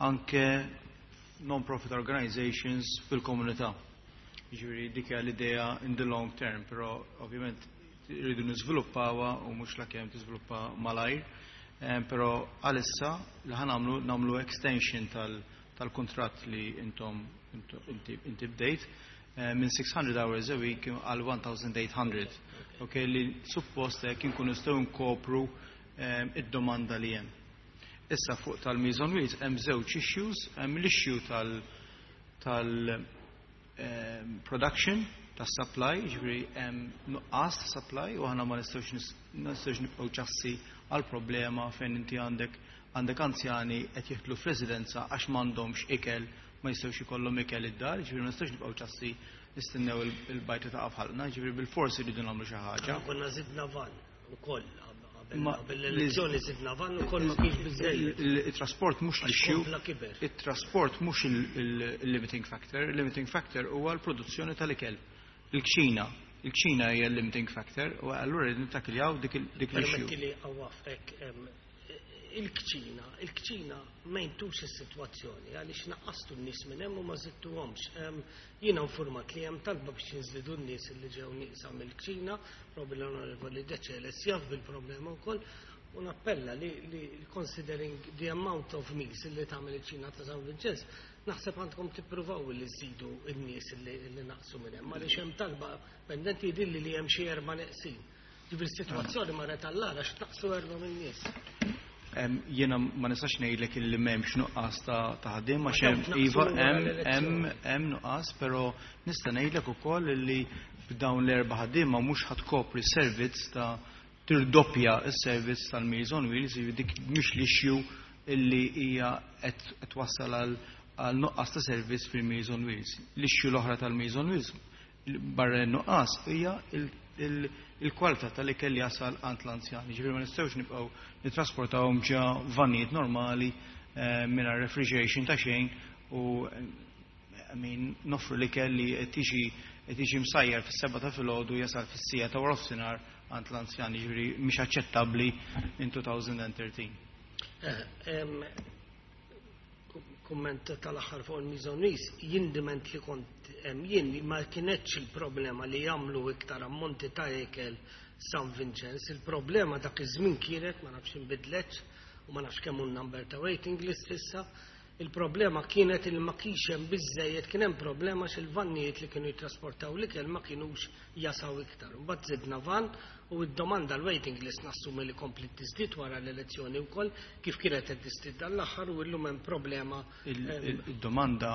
anke non-profit organizations fil-komunità. Jiġifieri dik hija l-idea in the long term, però ovvjament rridu niżviluppawha u mhux la kemm tiżviluppa malajr. Però għalissa li ħa nagħmlu, nagħmlu extension tal-kontratt li intom inti bdejt minn 600 hours a week għal 1800. Ok, li suppost hekk inkunu nistgħu nkopru id-domanda li hemm. Issa fuq tal-Meals on Wheels hemm żewġ issues, hemm l-issue tal production, tas supply, ġifieri hemm nuqqas ta' supply u aħna ma nistgħux nibqgħu ċassi għal problema fejn inti għandek anzjani qed jidħlu f'residenza għax m'għandhomx ikel, ma jistgħux ikollhom ikel id-dar, ġifieri ma nistgħux nibqgħu ċassi nistennew il-bajta ta' f'ħalqna, ġifieri bil-forsi rridu nagħmlu xi ħaġa.
Konna zidna van ukoll qabel l-elezzjoni, zidna van ukoll, ma kienx biżejjed.
Il-trasport mhux
Għax
l-issue,
kompla kiber.
il-trasport mhux il-limiting factor, il-limiting factor huwa l-produzzjoni tal-ikel. Il-kċina, il-kċina hija l-limiting factor u allura rridu nittakiljaw dik l-issue.
Permetti li għawaf ek. Il-kċina, il-kċina ma jintux is-sitwazzjoni għaliex naqqastu n-nies minn hemm u ma żidtuhomx. Jiena informat li hemm talba biex jinżidu n-nies li ġew nieqsa mill-kċina, probabbli l-Onorevoli Decelis jaf bil-problema wkoll, u nappella li considering the amount of meals li tagħmel il-kċina ta' San Vincenz, naħseb għandkom tippruvaw li żidu n-nies li naqsu minn hemm, għaliex hemm talba pendenti, jidhirli li hemm xi erba' neqsin. Ġifieri s-sitwazzjoni marret għall-agħar għax naqsu erba' min-nies.
Jiena ma nistax ngħidlek illi m'hemmx nuqqas ta' ħaddiem għax hemm, iva, hemm nuqqas, però nista' ngħidlek ukoll illi b'dawn l-erba' ħaddiema mhux ħa tkopri servizz ta' tirdoppja s-servizz tal-Meals on Wheels, dik mhix l-issue illi hija qed twassal għal nuqqas ta' servizz fil-Meals on Wheels. L-issue l-oħra tal-Meals on Wheels barra n-nuqqas hija il-kwalità tal-ikel li jasal għand l-anzjani. Ġifieri ma nistgħux nibqgħu nittrasportawhom ġa vanijiet normali mingħajr refrigeration ta' xejn u, I mean, noffru l-ikel li qed jiġi msajjar fis-7 ta' filgħodu jasal fis-siegħa ta' waranofsinhar għand l-anzjani, ġifieri mhix aċċettabbli in 2013.
Kumment tal-aħħar fuq il-Meals on Wheels, jien diment li kont jien ma kienetx il-problema li jagħmlu iktar ammonti ta' ikel San Vincenz, il-problema dak iż-żmien kienet, ma nafx inbidletx u ma nafx kemm hu number ta' waiting list issa, il-problema kienet il ma kienx hemm biżejjed, kien hemm problema x'il-vannijiet li kienu jittrasportaw l-ikel ma kienux jasaw iktar. Mbagħad żidna van u d-domanda l-waiting list nassumi li komplet tiżdied wara l-elezzjoni wkoll, kif kienet qed tiżdied dan l-aħħar, u llum hemm problema.
Il-domanda,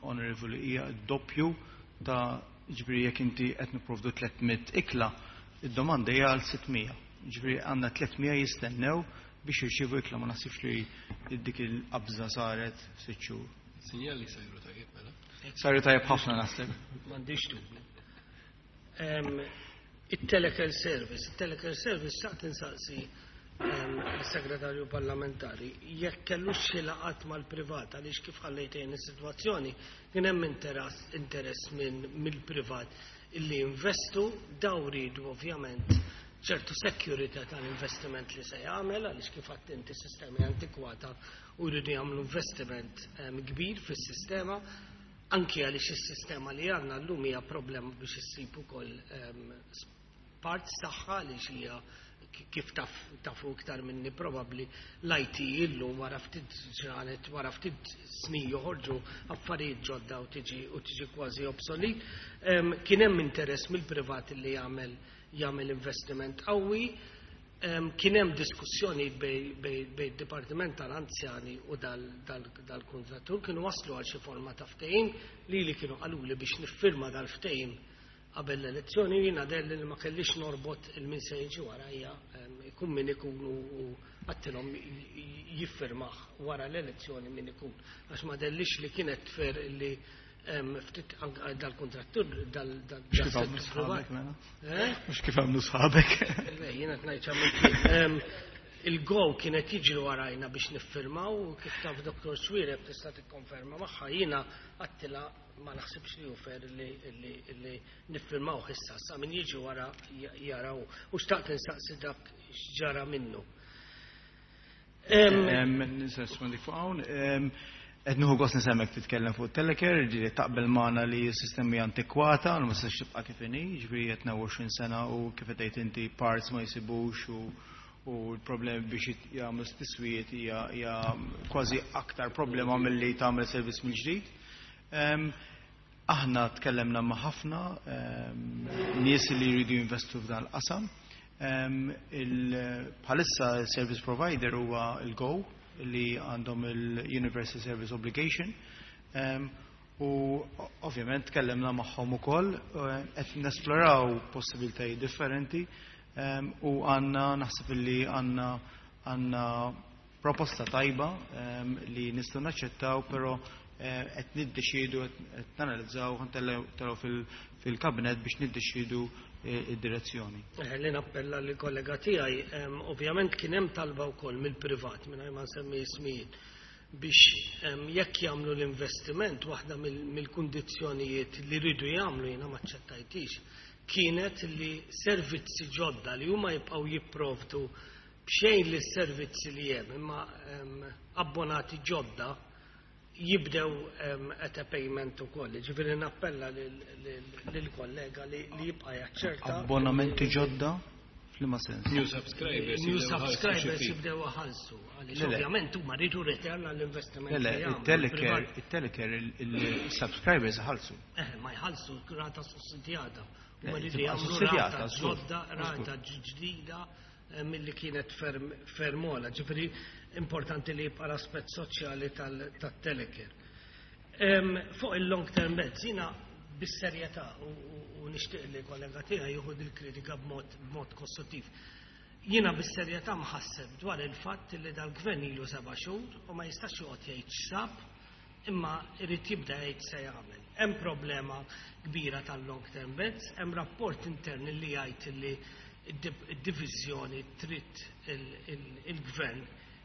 Onorevoli, hija doppju ta', ġifieri jekk inti qed nipprovdu 300 ikla, id-domanda hija għal 600. Ġifieri għandna 300 jistennew biex jirċievu ikla, ma naħsibx li dik il-qabża saret 6 xhur.
Sinjali sajru tajjeb mela.
Saru tajjeb ħafna, naħseb.
M'għandix dubju. Il-Telecare Service, il-Telecare Service, xtaqt insaqsi il-segretarju parlamentari jekk kellux xi laqgħat mal-privat, għaliex kif ħallejtejn is-sitwazzjoni kien hemm interess minn mill-privat illi investu, daw ridu ovvjament ċertu security tal-investiment li se jagħmel, għaliex kif għedt inti sistemi antikwata u jridu jagħmlu investiment kbir fis-sistema, anki għaliex is-sistema li għandna llum hija problema biex issib ukoll parts tagħha, għaliex hija kif tafu iktar minni probabbli l-IT illum wara ftit ġranet, wara ftit snin joħorġu affarijiet ġodda u tiġi kważi obsolet. Kien hemm interess mill-privat li jagħmel investiment qawwi. Kien hemm diskussjoni bej id-Dipartiment tal-Anzjani u dal-kontrattur, kienu waslu għal xi forma ta' ftehim li kienu qaluli biex niffirma dal-ftehim qabel l-elezzjoni. Jiena deherli li ma kellix norbot il-min se jiġi wara hija, ikun min ikun, u għedtilhom jiffirmah wara l-elezzjoni min ikun, għax ma dehirlix li kienet fair li ftit dal-kontrattur dal
Mhux kif għamlu sħabek, mela?
Eh?
Mhux kif għamlu sħabek.
Le, jiena ngħid x'għamilt. Il-Go kienet jiġri warajna biex niffirmaw u kif taf Dr. Xuereb tista' tikkonferma magħha, jiena għedtilha ma naħsibx li hu fair li niffirmaw issa, sa min jiġi wara jaraw, u xtaqt insaqsi dak x'ġara minnu.
Nista' nirrispondi fuq hawn. Qed nieħu gost nisemmek titkellem fuq Telecare, ġifieri taqbel magħna li s-sistemi antikwata, u ma tistax tibqa' kif inhi, ġifieri qed 20 sena u kif qed tgħid inti parts ma jsibux u l-problemi biex jagħmlu tiswijiet hija kważi aktar problema milli tagħmel servizz mill-ġdid. Aħna tkellemna ma' ħafna nies li jridu jinvestu f'dan il-qasam. Bħalissa il-service provider huwa il-Go li għandhom il-Universal Service Obligation. U ovvjament tkellemna magħhom ukoll, qed nesploraw possibilitajiet differenti u għandna, naħseb li għandna proposta tajba li nistgħu naċċettaw, però qed niddeċiedu, qed nanalizzaw, ħa ntellgħu fil-kabinet biex niddeċiedu id-direzzjoni.
Li nappella li kollega tiegħi, ovvjament kien hemm talba wkoll mill-privat, mingħajr ma nsemmi ismijiet, biex jekk jagħmlu l-investiment, waħda mill-kundizzjonijiet li rridu jagħmlu, jiena ma aċċettajtix, kienet li servizzi ġodda li huma jibqgħu jipprovdu. b'xejn li s-servizzi li hemm imma abbonati ġodda jibdew at a payment ukoll. Ġifieri nappella lill-kollega li jibqa' jaċċerta.
Abbonamenti ġodda? F'liema sens?
New subscribers.
New subscribers jibdew iħallsu. Għaliex ovvjament huma rridu return għall-investiment.
Le, il-telecare, il-subscribers iħallsu.
Eh, ma jħallsu rata sussidjata. Huma rridu jagħmlu rata ġodda, rata ġdida milli kienet ferm ogħla. Ġifieri importanti li jibqa' l-aspett soċjali tat-telecare. Fuq il-long term beds, jiena bis-serjetà u nixtieq li kollega tiegħi jieħu il-kritika b'mod kostruttiv. Jiena bis-serjetà mħasseb dwar il-fatt li dal-gvern ilu 7 xhur u ma jistax joqgħod jgħid x'sab imma irid jibda jgħid se jagħmel. Hemm problema kbira tal-long term beds, hemm rapport intern li jgħid li id-diviżjoni trid il-gvern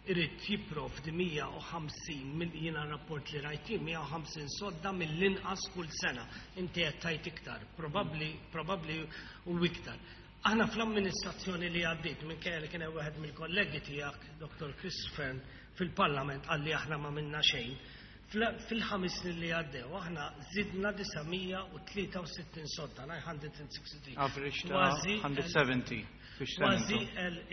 irid jipprovdi 150 mill jiena rapport li rajti 150 sodda mill-inqas kull sena. Inti qed tajt iktar, probabbli u iktar. Aħna fl-amministrazzjoni li għaddit, minkejja li kien hemm wieħed mill-kollegi tiegħek, Dr. Chris Fearne, fil-Parlament qalli aħna ma minna xejn. Fil-5 snin li għaddew, aħna zidna 963 sodda, 963.
Average ta' 170.
Kważi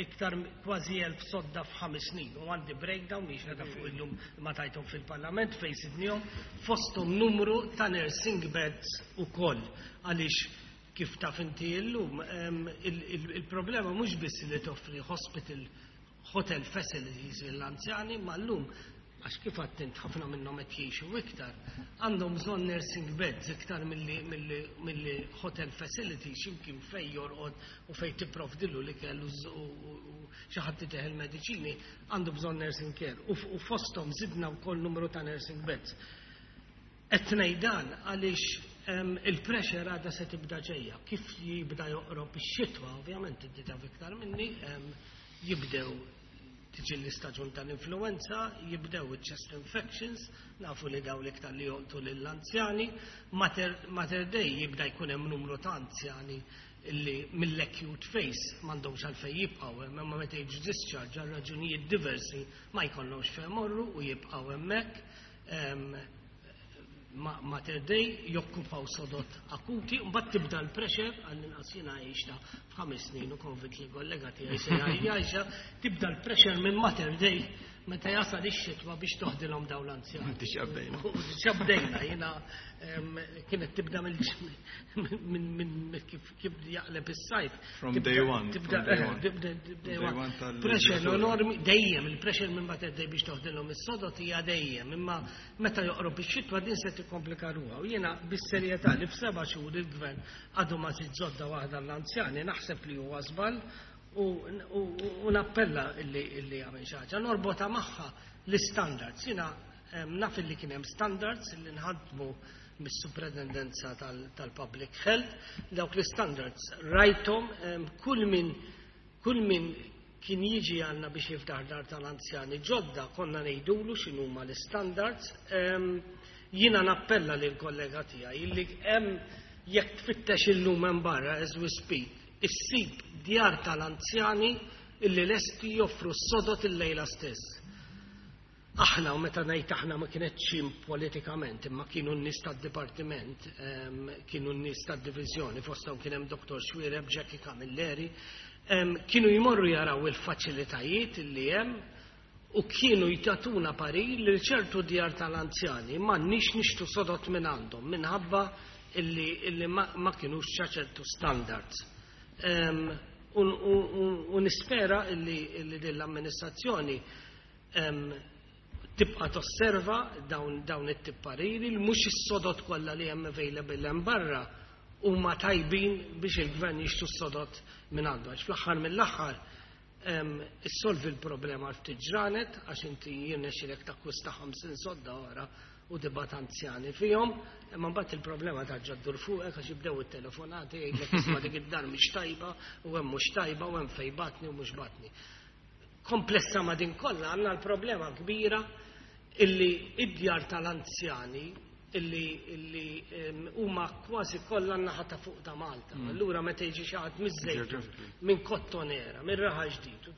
iktar kważi 1000 sodda f'5 snin. U għandi breakdown miex qegħda fuq illum ma tajthom fil-Parlament fejn sidnihom fosthom numru ta' nursing beds ukoll għaliex kif taf inti illum il-problema mhux biss li toffri hospital hotel facilities l-anzjani ma llum għax kif għattint ħafna minnhom qed jgħixu iktar, għandhom bżonn nursing beds iktar milli hotel facilities x'imkien fej jorqod u fej tipprovdilu li kellu u xi ħadd iteħel mediċini, għandu bżonn nursing care. U fosthom zidna wkoll numru ta' nursing beds. Qed ngħid dan għaliex il-pressure għadha se tibda ġejja. Kif jibda joqrob ix-xitwa, ovvjament inti taf iktar minni, jibdew tiġi l-istaġun tal-influenza, jibdew il-chest infections, nafu li daw l-iktar li joqtu lill-anzjani, Mater Dei jibda jkun hemm numru ta' anzjani illi mill-acute phase m'għandhomx għalfejn jibqgħu hemm, imma meta jiġu discharge għal raġunijiet diversi ma jkollhomx fejn morru u jibqgħu hemmhekk. Mater Dei jokkupaw sodod akuti, mbagħad tibda l-pressure, għall-inqas jiena għixta f'5 snin u konvint li kollega tiegħi se jgħixha, tibda l-pressure minn Mater Dei meta jasal ix-xitwa biex toħdilhom dawn l-anzjani.
Diġà bdejna.
U diġà bdejna, jiena kienet tibda minn kif jaqleb is-sajf.
From day one,
Tibda
from day one.
Tibda
From
day
day
one.
one tal-
Pressure enormi, dejjem, il-pressure minn Mater Dei biex toħdilhom is-sodod hija dejjem, imma meta joqrob ix-xitwa din se tikkomplika ruha. U jiena bis-serjetà li f'7 xhur il-gvern għadu ma żid sodda waħda l-anzjani, naħseb li huwa żball u nappella illi jagħmel xi ħaġa. Norbota magħha l-standards. Jiena naf illi kien hemm standards illi nħadmu mis-Superintendenza tal-Public Health, dawk l-standards rajthom kull min kien jiġi għanna biex jiftaħ dar tal-anzjani ġodda konna ngħidulu x'inhuma l-standards. Jiena nappella lil kollega tiegħi illi hemm jekk tfittex illum hemm barra as we speak, issib djar tal-anzjani illi lesti joffru s-sodod il-lejla stess. Aħna, u meta ngħid aħna ma kienet xim politikament, imma kienu n-nies tad-dipartiment, kienu n-nies tad-diviżjoni, fosthom kien hemm Dr. Xuereb, Jackie Camilleri, kienu jmorru jaraw il-faċilitajiet illi hemm u kienu jtatuna parir li ċertu djar tal-anzjani m'għandniex nixtru sodod minn għandhom minħabba illi ma kienux ċertu standards. U nispera illi din l-amministrazzjoni tibqa tosserva dawn it-tip pariri li mhux is-sodod kollha li hemm available hemm barra huma tajbin biex il-gvern jixtru s-sodod minn għandu. Għax fl-aħħar mill-aħħar issolvi l-problema għal ftit ġranet għax inti jirnexxilek takkwista 50 sodda ora u tibgħat anzjani fihom, imma mbagħad il-problema tarġa' ddur fuqek għax jibdew it-telefonati jgħidlek isma' dik id-dar mhix tajba u hemm mhux tajba u hemm fejn batni u mhux batni. Komplessa ma' din kollha għandna l-problema kbira illi id-djar tal-anzjani illi huma kważi kollha n-naħa ta' fuq ta' Malta. Allura meta jiġi xi ħadd miż-Żejtun,
Geographically.
minn Kottonera, minn Raħal Ġdid,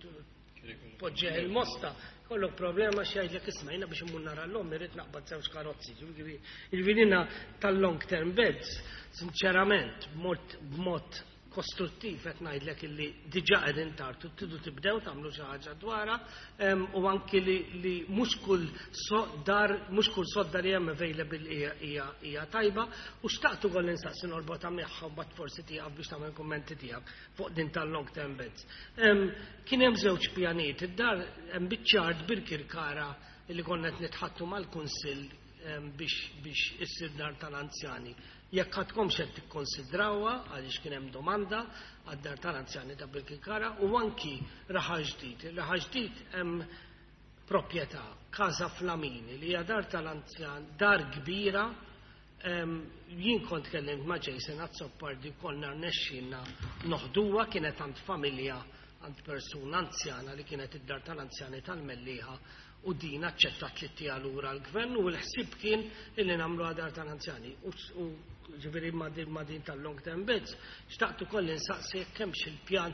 Poġġi il-Mosta, kollok problema xi jgħidlek isma' jiena biex immur nara l-omm irrid naqbad żewġ karozzi. Jiġifieri tal-long term beds, sinċerament, b'mod kostruttiv qed ngħidlek illi diġà qegħdin tard u tridu tibdew tagħmlu xi ħaġa dwarha u anki li mhux kull dar mhux kull sodda li hemm available hija tajba u xtaqt ukoll insaqsi norbotha magħha u mbagħad forsi tieqaf biex tagħmel kummenti tiegħek fuq din tal-long term beds. Kien hemm żewġ pjanijiet, id-dar hemm biċċa art Birkirkara li konna qed nitħattu mal-Kunsill biex issir dar tal-anzjani. Jekk għadkomx qed tikkonsidrawha għaliex kien hemm domanda għad-dar tal-anzjani ta' Birkirkara u anki Raħal Ġdid. Raħal Ġdid hemm proprjetà, Casa Flamini, li hija dar tal-anzjan, dar kbira. Jien kont kellimt ma' Jason Azzopardi konna rnexxinna noħduha kienet għand familja għand persuna anzjana li kienet id-dar tal-anzjani tal-Mellieħa u din aċċettat li ttiha lura l-gvern u l-ħsieb kien illi nagħmlu dar tal-anzjani. U ġifieri ma' din tal-long term beds, xtaqt ukoll insaqsi jekk hemmx il-pjan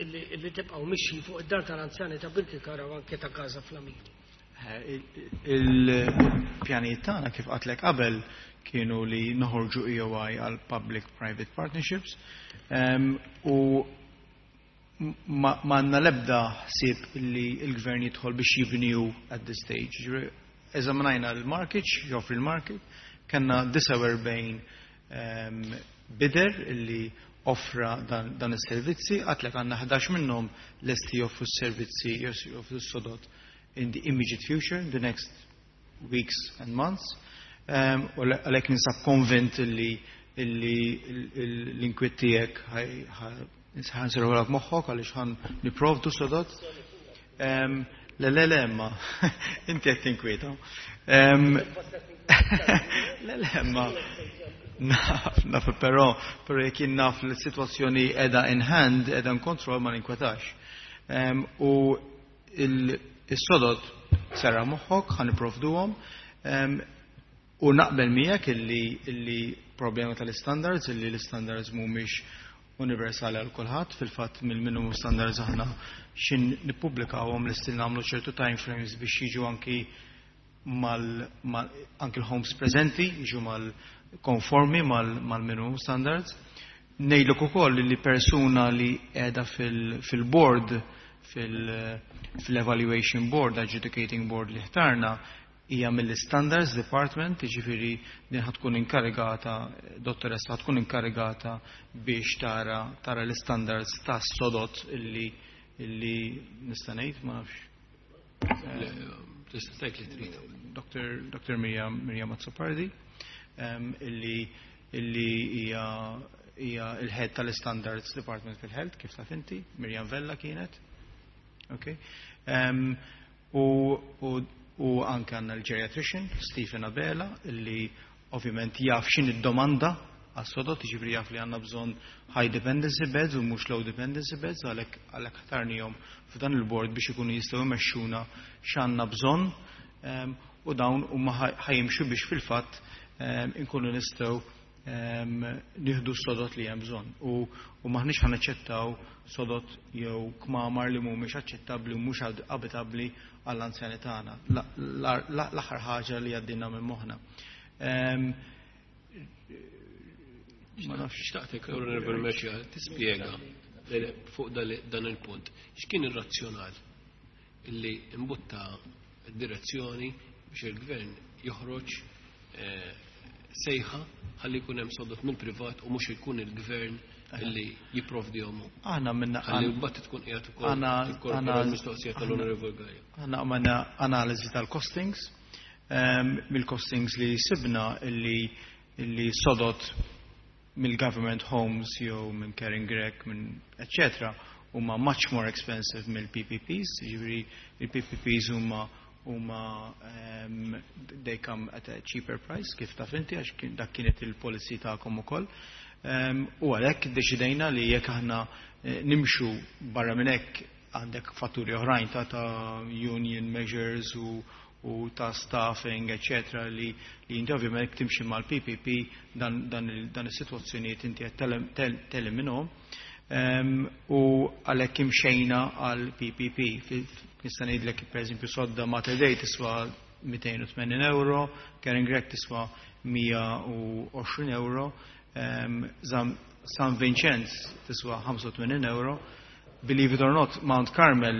illi tibqgħu mixi fuq id-dar tal-anzjani ta' Birkirkara u anke ta' Casa Flamini.
Il-pjanijiet tagħna kif għedtlek qabel kienu li noħorġu EOI għal Public-Private Partnerships u m'għandna lebda ħsieb li l-gvern jidħol biex jibniju at this stage. Eżaminajna l-market, joffri l-market, kellna 49 bidder illi offra dan is-servizzi, għedtlek għandna 11 minnhom lesti joffru s-servizzi, joffru s-sodod in the immediate future, the next weeks and months. U għalhekk ninsab konvint illi l-inkwiet tiegħek ħa nserrħulek moħħok għaliex ħa nipprovdu sodod. Le, le, le, ma, inti qed tinkwieta. Le, le, ma, naf, naf, però jekk jien naf li s-sitwazzjoni qiegħda in hand, qiegħda in control ma ninkwetax. U il-sodod serraħ moħħok, ħa nipprovduhom. U naqbel miegħek illi problema tal-standards, illi l-standards mhumiex universali għal kulħadd, fil-fatt mill-minimum standards aħna xin nippubblikawhom li nagħmlu ċertu time frames biex jiġu anki mal, anki l-homes preżenti, jiġu mal konformi mal-minimum standards. Ngħidlek ukoll li persuna li qiegħda fil-board, fil-evaluation board, adjudicating board li ħtarna, hija mill-Standards Department, jiġifieri din ħa tkun inkarigata, dottoressa ħa tkun inkarigata biex tara l-standards ta' sodod illi nista' ngħid ma nafx.
Tista' tgħid li trid.
Dr. Miriam Azzopardi, illi hija il-head tal-Standards Department fil-Health, kif taf inti, Miriam Vella kienet. Okay. U anke għandna l-geriatrician, Stephen Abela, illi ovvjament jaf x'inhi d-domanda għas-sodod, ġifieri jaf li għandna bżonn high dependency beds u mhux low dependency beds, għalhekk ħtarnihom f'dan il-board biex ikunu jistgħu jmexxuna x'għandna bżonn u dawn huma ħa jimxu biex fil-fatt inkunu nistgħu nieħdu s-sodod li hemm bżonn. U maħniex ħa naċċettaw sodod jew kmamar li mhumiex aċċettabbli u mhux abitabbli għall-anzjani tagħna. L-aħħar ħaġa li għaddinna minn moħħna.
Ma nafx. Xtaqtek, Onorevole Mercieca, tispjega fuq dan il-punt. X'kien ir-razzjonal illi imbutta direzzjoni biex il-gvern joħroġ sejħa ħalli jkun hemm sodod mill-privat u mhux ikun il-gvern illi jipprovdihom?
Aħna minna
Ħalli mbagħad tkun qiegħed ukoll tikkorpora l-mistoqsija tal-Onorevole Galea.
Aħna għamilna analiżi tal-costings, mill-costings li sibna illi sodod mill-government homes jew minn Karin Grech, minn etc. huma much more expensive mill-PPPs, ġifieri il-PPPs huma they come at a cheaper price, kif taf inti, għax dak kienet il-policy tagħkom ukoll. U għalhekk deċidejna li jekk aħna nimxu barra minn hekk għandek fatturi oħrajn ta' union measures u ta' staffing, eccetera, li inti ovvjament timxi mal-PPP dan is-sitwazzjonijiet inti qed teliminhom. U għalhekk imxejna għal PPP. Nista' ngħidlek, pereżempju, sodda Mater Dei tiswa 280 euro, Caring Grech tiswa 120 euro, San Vincenz tiswa 85 euro. Believe it or not, Mount Carmel,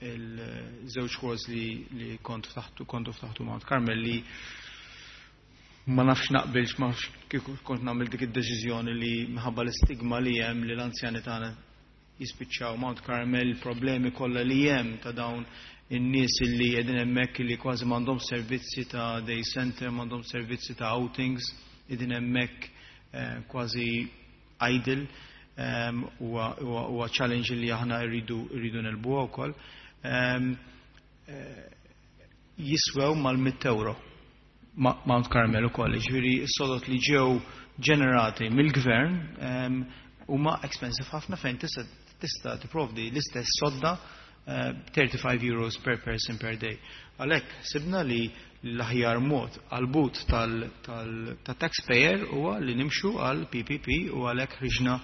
il-żewġ halls li kont ftaħtu, kontu ftaħtu Mount Carmel, li ma nafx naqbilx, ma nafx kieku kont nagħmel dik id-deċiżjoni li minħabba l-istigma li hemm li l-anzjani tagħna jispiċċaw Mount Carmel, problemi kollha li hemm ta' dawn in-nies li qegħdin hemmhekk li kważi m'għandhom servizzi ta' day center, m'għandhom servizzi ta' outings, qegħdin hemmhekk kważi idle, huwa challenge li aħna rridu negħlbuha wkoll. Jiswew mal-100 euro Mount Carmel ukoll, ġifieri s-sodod li ġew ġenerati mill-gvern huma expensive ħafna fejn tista' tipprovdi l-istess sodda €35 per person per day. Għalhekk sibna li l-aħjar mod għal-but tal-taxpayer huwa li nimxu għal PPP u għalhekk ħriġna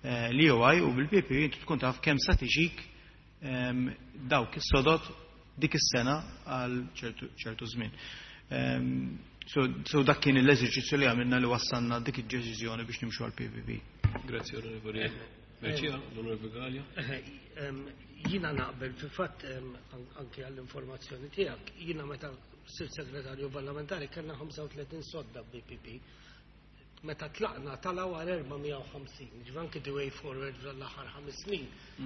l-EOI u bil-PPP inti tkun taf kemm sa tiġik dawk is-sodod dik is-sena għal ċertu żmien. So dak kien l-eżerċizzju li għamilna li wassalna dik id-deċiżjoni biex nimxu għal PPP.
Grazie, Onorevoli Mercieca, l-Onorevoli Galea.
Jiena naqbel, fil-fatt, anke għall-informazzjoni tiegħek, jiena meta sirt segretarju parlamentari kellna 35 sodda BPP. Meta tlaqna talaw għal 450, ġifieri anke the way forward l-aħħar 5 snin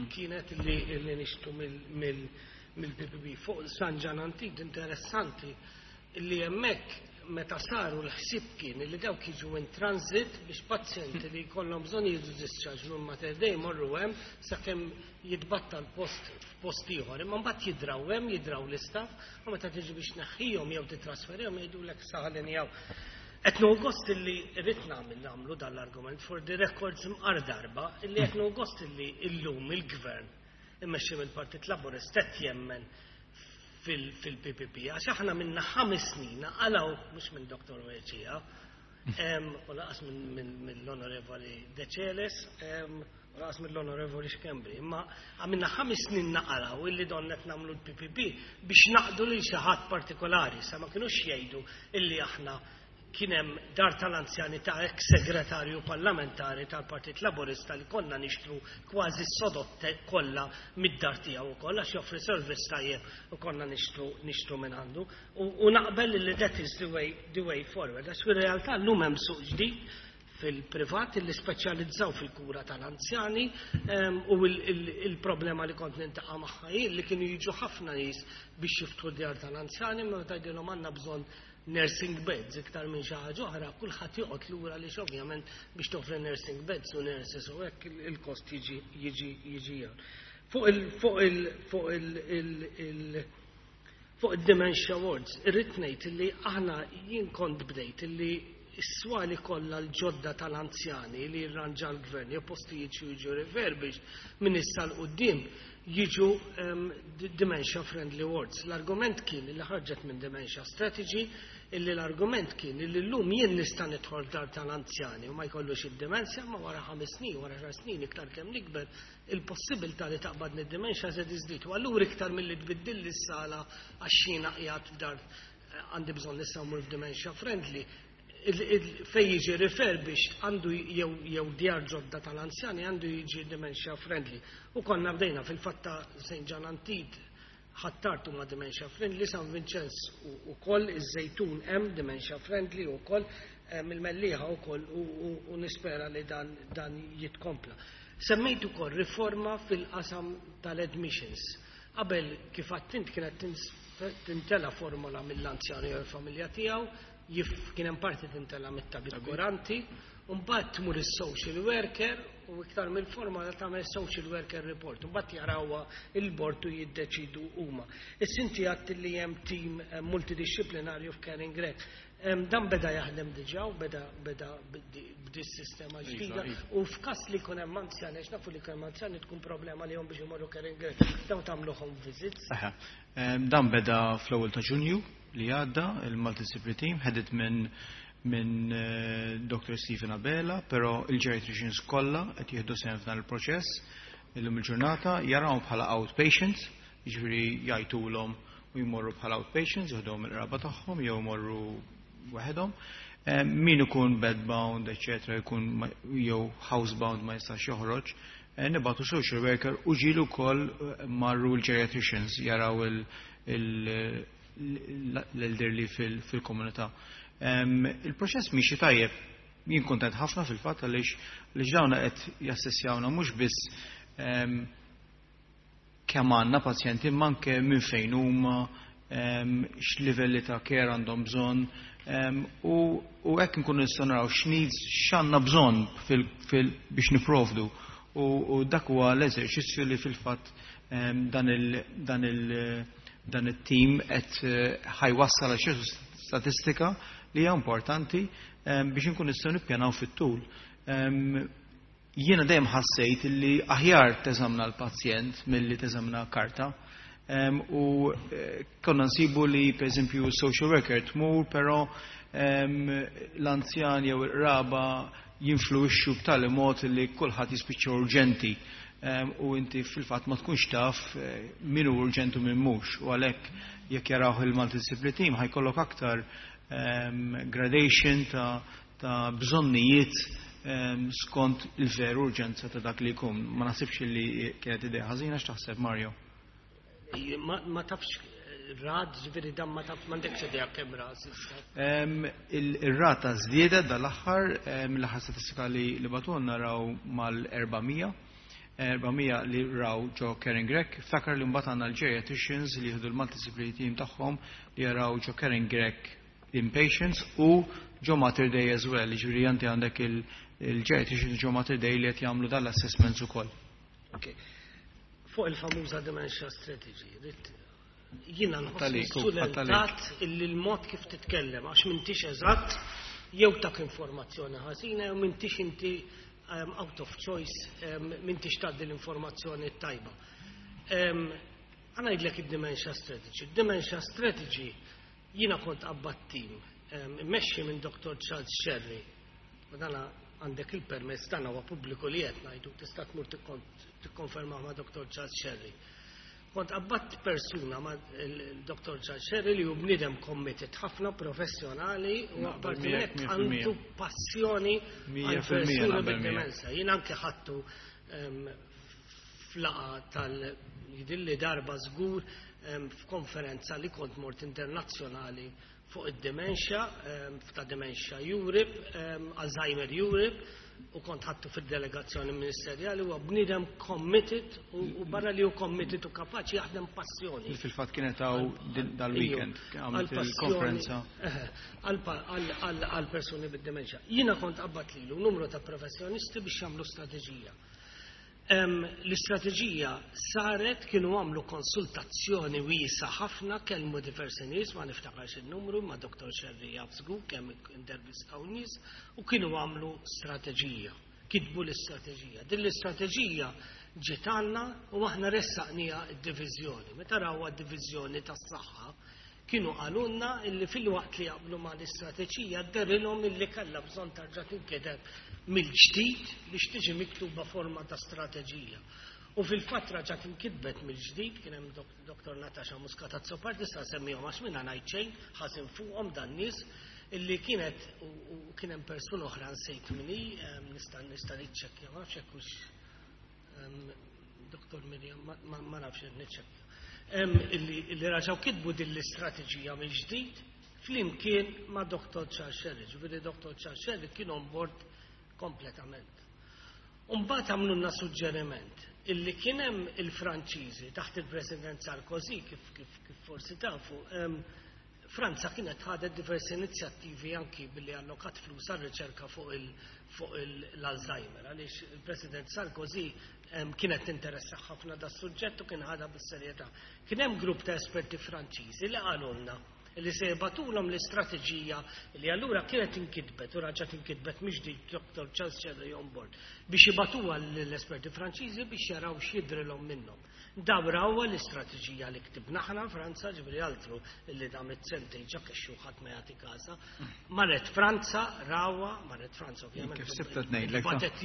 kienet li nixtru mill-PPP. Fuq San Ġwann Antide, interessanti li hemmhekk meta saru l-ħsib kien li dawk jiġu in transit biex pazjenti li jkollhom bżonn jiġu discharge minn Mater Dei jmorru hemm sakemm jitbattal post f'post ieħor. Imma mbagħad jidraw hemm, jidraw l-istaff, u meta tiġi biex tneħħihom jew titrasferihom jgħidulek saħalin jew. Qed nieħu gost illi rrid nagħmlu dan l-argument for the records mqar darba, illi qed nieħu gost illi illum il-gvern immexxi mill-Partit Laburista qed jemmen fil-PPP, għax aħna minna 5 snin għalaw, mhux minn Dr. Mercieca, u lanqas mill-Onorevoli Decelis, u lanqas mill-Onorevoli Schembri, imma għamilna 5 snin naqraw illi donna qed nagħmlu l-PPP biex naqdu lil xi ħadd partikolari, sa ma kinux jgħidu illi aħna kien hemm dar tal-anzjani ta' ex-segretarju parlamentari tal-Partit Laburista li konna nixtru kważi s-sodod kollha mid-dar tiegħu ukoll għax joffri service tajjeb u konna nixtru minn għandu. U naqbel li that is the way forward. Għax fir-realtà llum hemm suq ġdid fil-privat li speċjalizzaw fil-kura tal-anzjani u il-problema li kont niltaqa' magħha hi li kienu jiġu ħafna nies biex jiftħu djar tal-anzjani, ma tgħidilhom għandna bżonn nursing beds iktar minn xi ħaġa oħra, kulħadd joqgħod lura li ovvjament biex toffri nursing beds u nurses u hekk il-kost jiġi. Fuq il-dementia wards, irrid ngħid li aħna jien kont bdejt illi s-swali kollha l-ġodda tal-anzjani li jirranġa l-gvern jew postijiet xi jiġu refurbished minn issa 'l quddiem jiġu dementia friendly wards. L-argument kien li ħarġet minn dementia strategy, illi l-argument kien illi llum jien nista' nidħol dar tal-anzjani u ma jkollux id-demenzja, ma wara 5 snin, wara 10 snin, iktar kemm nikber, il-possibilità li taqbadni d-demenzja se tiżdied. U allura iktar milli tbiddil s-sala għax jiena qiegħed f'dar għandi bżonn issa mmur f'dementia friendly, fej jiġi refurbished għandu jew djar ġodda tal-anzjani għandu jiġi dementia friendly. U konna bdejna fil-fatt ta' St. John Antide, Ħ'Attard huma dementia friendly, San Vincenz u koll, iż-Żejtun hemm dementia friendly u koll, il-Mellieħa u koll u nispera li dan jitkompla. Semmejt ukoll riforma fil-qasam tal-admissions. Qabel, kif għedt int, kienet tintela formola mill-anzjani jew il-familja tiegħu, kien hemm parti tintela mit-tabib kuranti, u mbagħad tmur is-social worker u iktar mill-formola tagħmel social worker report, u mbagħad jarawha il-bord u jiddeċidu huma. Issa inti għedt li hemm team multidisciplinarju f'Caring Grech. Dan beda jaħdem diġà u beda b'dis sistema ġdida u f'każ li jkun hemm anzjani, għax nafu li jkun hemm anzjani tkun problema li jom biex imorru Caring Grech, dawn tagħmlu home visits.
Aha. Dan beda fl-ewwel ta' Ġunju li għadda, il-multidisciplinary team headed minn minn Dr. Stephen Abela, però il-geriatricians kollha qed jieħdu sehem f'dan il-proċess illum il-ġurnata, jarawhom bħala outpatients, jiġifieri jgħidulhom u jmorru bħala outpatients, jieħduhom il-qraba tagħhom jew jmorru waħedhom. Min ikun bedbound, eccetera, jkun jew housebound ma jistax joħroġ, nibagħtu social worker u ġieli wkoll marru l-geriatricians jaraw l-elderly fil-komunità. Il-proċess miexi tajjeb, jien kontent ħafna fil-fatt għaliex dawna qed jassessjawna mhux biss kemm għandna pazjenti, imma anke minn fejn huma, x'livelli ta' care għandhom bżonn, u hekk nkunu nistgħu naraw x'needs x'għandna bżonn biex niprovdu. U dak huwa l-eżerċizzju li fil-fatt dan it-tim qed ħa jwassal għal xi statistika li hija importanti biex nkun nistgħu nippjanaw fit-tul. Jiena dejjem ħassejt li aħjar teżamna l-pazjent milli teżamna karta. U konna nsibu li per eżempju social worker tmur, però l-anzjan jew il-qraba jinfluwixxu b'tali mod li kulħadd jispiċċa urġenti. U inti fil-fatt ma tkunx taf min hu urġenti u min mhux. U għalhekk jekk jaraw il-multidisciplinary team ħa jkollok aktar gradation ta' bżonnijiet skont il-veru urġenza ta' dak li jkun. Ma naħsibx li kienet idea ħażina. X'taħseb, Mario?
Ma tafx rad, ġifieri dan ma taf, m'għandekx idea kemm ra s'issa.
Il-rata żdiedet dal-aħħar, mill-aħħar statistika li bagħtulna naraw mal-400. 400 li raw ġo Karin Grech. Ftakar li mbagħad għandna l-geriatricians li jieħdu l-multidisciplinary team tagħhom li jaraw ġo Karin Grech inpatients u ġo Mater Dei as well, ġifieri inti għandek il-geriatricians ġo Mater Dei li qed jagħmlu dal-assessments ukoll.
Okay. Fuq il-famuża dementia strategy, jiena nħoss
Għalik,
sulentat illi l-mod kif titkellem, għax m'intix eżatt, jew tak informazzjoni ħażina, jew m'intix inti out of choice, m'intix tgħaddi l-informazzjoni tajba. Ħa ngħidlek id-dementia strategy. Dementia strategy jiena kont qabbadt team, immexxi minn Dr. Charles Scerri. U dana għandek il-permess, dan huwa pubbliku li qed ngħidu, tista' tmur tikkonferma ma' Dr. Charles Scerri. Kont qabbadt persuna ma' il-Dr. Charles Scerri li hu bniedem committed ħafna, professjonali u
Naqbel
apparti
miegħek
minn hekk
100%.
għandu passjoni
Mija
għal
fil-mija
persuni
naqbel miegħek.
bid-demenza. Jien anke ħadtu f'laqgħa tal jidilli darba żgur f'konferenza li kont mort internazzjonali fuq id-dementia, ta' Dementia Europe, Alzheimer Europe, u kont ħadtu fil-delegazzjoni ministerjali. Huwa bniedem committed u barra li hu committed u kapaċi jaħdem passjoni.
Fil-fatt kienet hawn dal-weekend, għamlet il-konferenza.
Għal persuni bid-dementia. Jiena kont qabbadt lilu numru ta' professjonisti biex jagħmlu strateġija. L-istrateġija saret, kienu għamlu konsultazzjoni wiesgħa ħafna, kellmu diversi nies, ma niftakarx il-numru, ma Dr. Scerri jaf żgur kemm intervistaw nies, u kienu għamlu strateġija, kitbu l-istrateġija. Din l-istrateġija ġiet għandna u aħna ressaqnieha d-diviżjoni. Meta rawha d-diviżjoni tas-saħħa, kienu qalulna illi fil-waqt li jaqblu ma l-istrateġija dehrilhom illi kellha bżonn tarġa' tinkiteb mill-ġdid biex tiġi miktuba forma ta' strateġija. U fil-fatt raġa' tinkitbet mill-ġdid, kien hemm Dr. Natasha Muscat Azzopardi, sa semmihom għax minna ngħid xejn ħażin fuqhom dan nies, illi kienet u kien hemm persuna oħra nsejt min hi, nista' niċċekkja, ma nafx hekk hux, Dr. Miriam, ma nafx niċċekkja. Illi raġaw kitbu din l-istrateġija mill-ġdid flimkien ma' Dr. Charles Scerri. Ġifieri Dr. Charles Scerri kien on board kompletament. Umbagħad għamlulna suġġeriment illi kien hemm il-Franċiżi taħt il-President Sarkozy, kif forsi tafu, Franza kienet ħadet diversi inizjattivi anki billi allokat flus għal riċerka fuq l-Alzheimer, għaliex il-President Sarkozy kienet interessa ħafna da suġġett u kien ħadha bis-serjetà. Kien hemm grupp ta' esperti Franċiżi li qalulna Li se jibagħtulhom l-istrateġija li allura kienet inkitbet u raġgħet inkitbet mill-ġdid Dr. Charles Scerri on board biex jibagħtuha l-esperti Franċiżi biex jaraw x'jidrilhom minnhom. Daw rawha l-istrateġija li ktibna aħna Franza, ġifieri altru li damet sentejn ġa kexxu ħadd ma jagħti kasa. Marret Franza, rawha, marret Franza ovvjament.
Kif sibta tnejlek.
Batet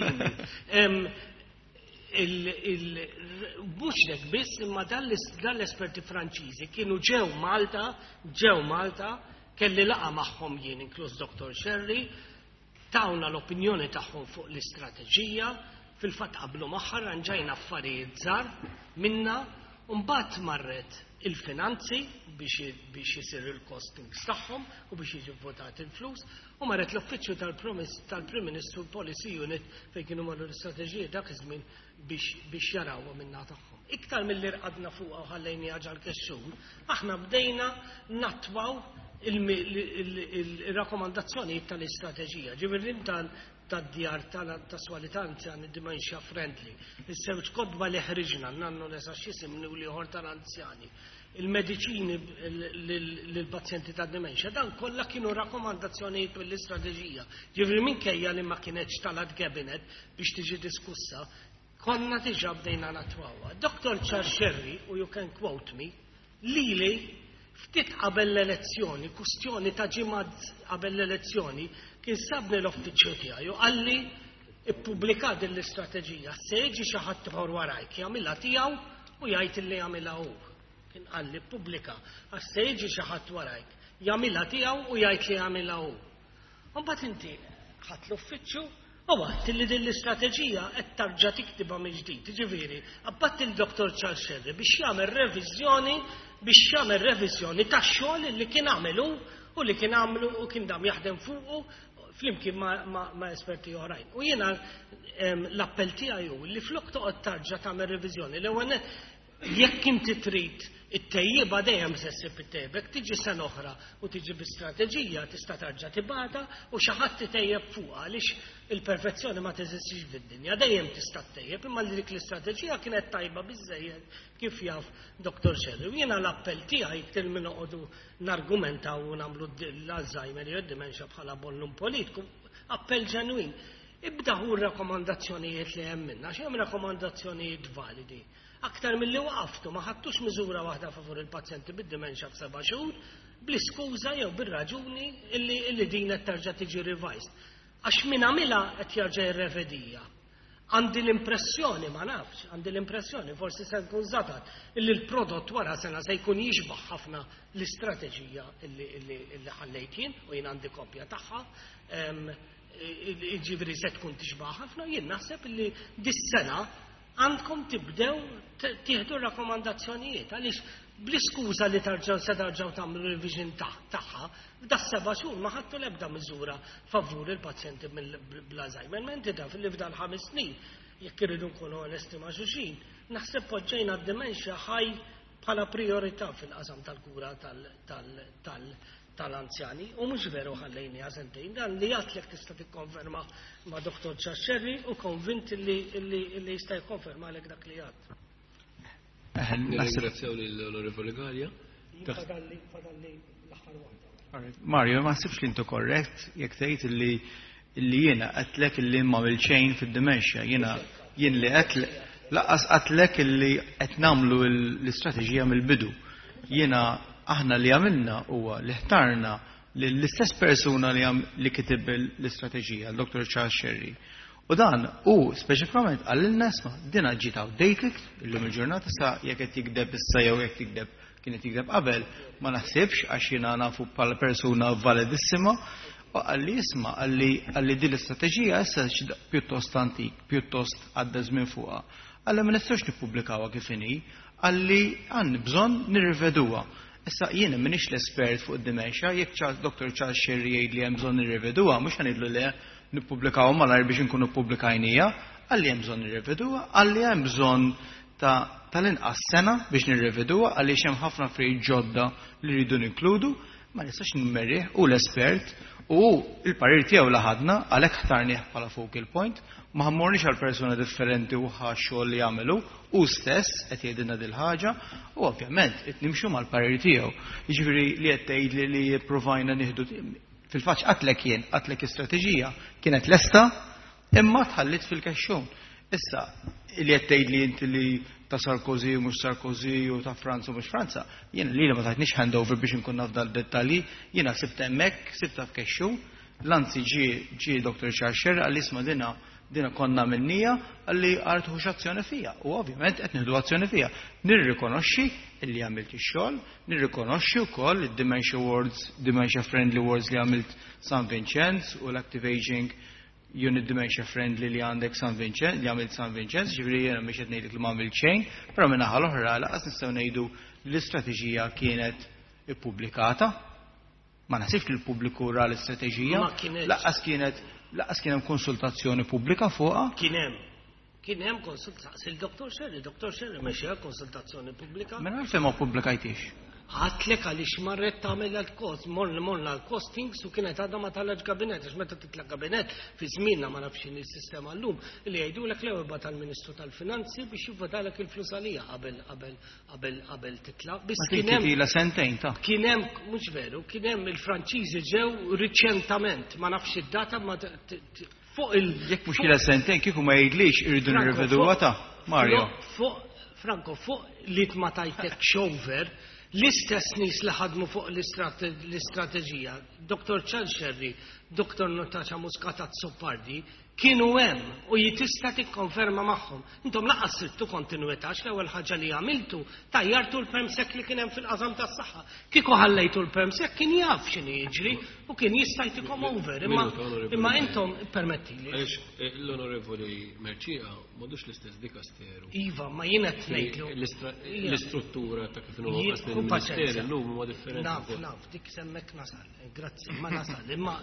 mhux hekk biss, imma dan l-esperti Franċiżi kienu ġew Malta, kelli laqgħa magħhom jien, inkluż Dr. Scerri, tawna l-opinjoni tagħhom fuq l-istrateġija, fil-fatt qablu magħha, ranġajna affarijiet żgħar minna, u mbagħad marret il-finanzi biex jisir il-costings tagħhom u biex jiġi votat il-flus, u marret l-uffiċċju tal-Prim Ministru, Policy Unit, fejn kienu marru l-istrateġija dak iż-żmien biex jarawha minna tagħhom. Iktar milli rqadna fuqha u ħallejni ġal-kexxun, aħna bdejna nattwaw il-rakkomandazzjonijiet tal-istrateġija. Ġifieri tad-djar tas-swali anzjani dementia friendly. Is-sewġ kotba li ħriġna, nannu nesa x'isimni u l-ieħor tal-anzjani. Il-mediċini lill-pazjenti ta' dementia, dan kollha kienu rakkomandazzjonijiet mill-istrateġija. Ġifieri minkejja li ma kienx telgħet cabinet biex tiġi diskussa, konna diġà bdejna nattwawha. Dr. Charles Scerri, u you can quote me, lili ftit qabel l-elezzjoni, kustjoni ta' ġimgħat qabel l-elezzjoni, kien sabni l-uffiċċju tiegħi u qalli: "Ippubblika din l-istrateġija, se jiġi xi ħadd ieħor warajk, jagħmilha tiegħu u jgħid li jagħmilha hu." Kien qalli: "Ippubblika, għax se jiġi xi ħadd warajk, jagħmilha tiegħu u jgħid li jagħmilha hu." Mbagħad inti ħadt l-uffiċċju u għedt li din l-istrateġija qed tarġa' tiktibha mill-ġdid. Ġifieri, bgħatt il-Dr. Charles Scerri biex jagħmel reviżjoni tax-xogħol li kien għamelu u li kien għamlu u kien dam jaħdem fuqu flimkien ma' esperti oħrajn. U jiena l-appell tiegħi hu li flok toqgħod tarġa' tagħmel reviżjoni, l-ewwel jekk inti trid it-tejjiba dejjem se ssib it-tejjeb, tiġi sena oħra u tiġi bi strateġija tista' tarġa' tibgħatha u xi ħadd itejjeb fuqha, għaliex il-perfezzjoni ma teżistix fid-dinja, dejjem tista' ttejjeb, imma li dik l-istrateġija kienet tajba biżejjed kif jaf Dr. Scerri. U jiena l-appell tiegħi, iktar minn noqogħdu nargumentaw u nagħmlu l-Alzheimer jew id-dementia bħala bollum politiku, appell ġenwin. Ibda hu r-rakkomandazzjonijiet li hemm minna, għax hemm rakkomandazzjonijiet validi. Aktar milli waqaftu ma ħadtux miżura waħda favur il-pazjenti bid-dementia f'7 xhur, bl-iskuża jew bir-raġuni illi din qed tarġa' tiġi revised. Għax min għamilha qed jarġa' jirrevediha. Għandi l-impressjoni, ma nafx, għandi l-impressjoni, forsi se nkun żatat, illi l-prodott wara sena se jkun jixbaħ ħafna l-istrateġija illi ħallejt jien u jien għandi kopja tagħha. Ġifieri se tkun tixbaħ ħafna, jien naħseb illi dis-sena għandkom tibdew tieħdu rakkomandazzjonijiet, għaliex bl-iskuża li tarġaw se tarġaw tagħmlu revision tagħha, f'da 7 xhur ma ħadtu l-ebda miżura favur il-pazjenti bl-Alzheimer. Menti taf li f'dal 5 snin, jekk irridu nkunu onesti ma' xulxin, naħseb poġġejna d-dementia ħaj bħala priorità fil-qasam tal-kura tal-anzjani u mhux veru ħallejni sentejn. Dan li għedtlek tista' tikkonferma ma' Dr. Scerri u konvint li jista' jikkonferma għalek dak li għedt.
Nirringrazzjaw lill-Onorevoli Galea.
Fadalli l-aħħar waħda.
Mario, ma nsibx li intu korrett jekk tgħid illi jiena għedtlek illi ma xejn fid-dementia. Jiena jien li għedt lanqas għedtlek illi qed nagħmlu l-istrateġija mill-bidu. Jiena aħna li għamilna huwa li ħtarna l-istess persuna li kitib l-istrateġija, l-Dr. Charles Scerri. U dan u speċifikament qalilna: "Isma', dina ġiet outdated illum il-ġurnata." Sa jekk qed jikdeb issa jew jekk jikdeb kienet jikdeb qabel, ma naħsibx, għax jiena nafu bħala persuna validissima. U qalli: "Isma'," qalli, "din l-istrateġija issa pjuttost antik, pjuttost għadda żmien fuqha." Qalli: "Ma nistgħux nippubblikawha kif inhi," qalli, "għandna bżonn nirriveduha." Issa jiena m'iniex l-espert fuq id-dementia, jekk Dr. Charles Scerri jgħid li hemm bżonn nirriveduha, mhux ħa ngħidlu le, nippubblikaw malajr biex inkunu ppubblikajnieha. Qalli hemm bżonn nirriveduha, qalli hemm bżonn ta' tal-inqas sena biex nirriveduha għaliex hemm ħafna affarijiet ġodda li rridu ninkludu. Ma nistax nimmerih, u l-espert. U il-parir tiegħu la ħadna għalhekk ħtarnih bħala focal point, ma ħammorniex għal persuna differenti u ħa xogħol li jagħmelu, hu stess qed jgħidilna dil-ħaġa u ovvjament qed nimxu mal-parir tiegħu. Jiġifieri li qed tgħidli li ppruvajna nieħdu fil-fatt qatlek jien, qatlek istrateġija kienet lesta imma tħallit fil-kexxun. Issa, li qed tgħidli inti li ta' Sarkozy u mhux Sarkozy u ta' Franza u mhux Franza, jiena li ma tatniex handover biex inkun naf dal-dettalji, jiena sibt hemmhekk, sibta f'kexxun, l-anzi ġie Dr. Charles Scerri għalli isma' dina konna minnija għalli għar tħux azzjoni fija. U ovvjament qed nieħdu azzjoni fija. Nirrikonoxxi illi għamilt ix-xogħol, nirrikonoxxi wkoll id-Dementia Wards, Dementia Friendly Wards li għamilt San Vincenz u l-Active Aging Unit Dementia Friendly li għandek San Vincenz, li għamilt San Vincenz, ġifieri jiena mhix qed ngħidlek li ma għamilt xejn, però minn naħa l-oħra laqas nistgħu ngħidu li l-istrateġija kienet ippubblikata. Ma naħsibx li l-pubbliku ra l-istrateġija.
Ma kienx.
Laqas kienet, laqas kien hemm konsultazzjoni pubblika fuqha.
Kien hemm. Kien hemm konsultazzjoni. Il-Dr. Scerri, Dr. Scerri mexxa konsultazzjoni pubblika.
Mela għalfejn ma ppubblikajtix?
Għatlek għaliex marret tagħmel l-kost, morna l-costings u kienet għadha ma talax gabinet, għax meta titla' gabinet fi żmienna ma nafx x'inhi s-sistema llum, li jgħidulek l-ewwel bagħat tal-Ministru tal-Finanzi biex jivvotalek il-flus għalija qabel titla'. Biss
Ma
kien hemm
tila sentejn ta'
Kien hemm, mhux veru, kien hemm il-Franċiżi ġew riċentament, ma nafx id-data ma fuq il-
Jekk mhux ilha sentejn kieku ma jgħidlix irridu
Franco,
nirriveduha ta' Mario.
Franco, fuq li ma tajtek xover, l-istess nies li ħadmu fuq l-istrateġija, Dr. Charles Scerri, Dr. Natasha Muscat Azzopardi, kienu hemm u jitista tikkonferma magħhom. Intom laqas sittu kontinuità l-ewwel ħaġa li għamiltu tajjartu l-permsec li kien hemm fil-qasam tas-saħħa. Kieku ħallejtu l-permsec kien jaf x'inhi jiġri u kien jista' jtikom over. Imma
Minuta, onorevoli.
intom permettili.
Għaliex l-onorevoli Mercieca m'għadux l-istess dikasteru.
Iva, ma jien qed ngħidlu.
L-istruttura ta' kif inhu
Jien
qasli
kun
l-Ministeru
paċenzja.
llum huwa differenti
Naf,
wkoll.
naf, dik semmek nasal. Grazzi, ma nasal. Imma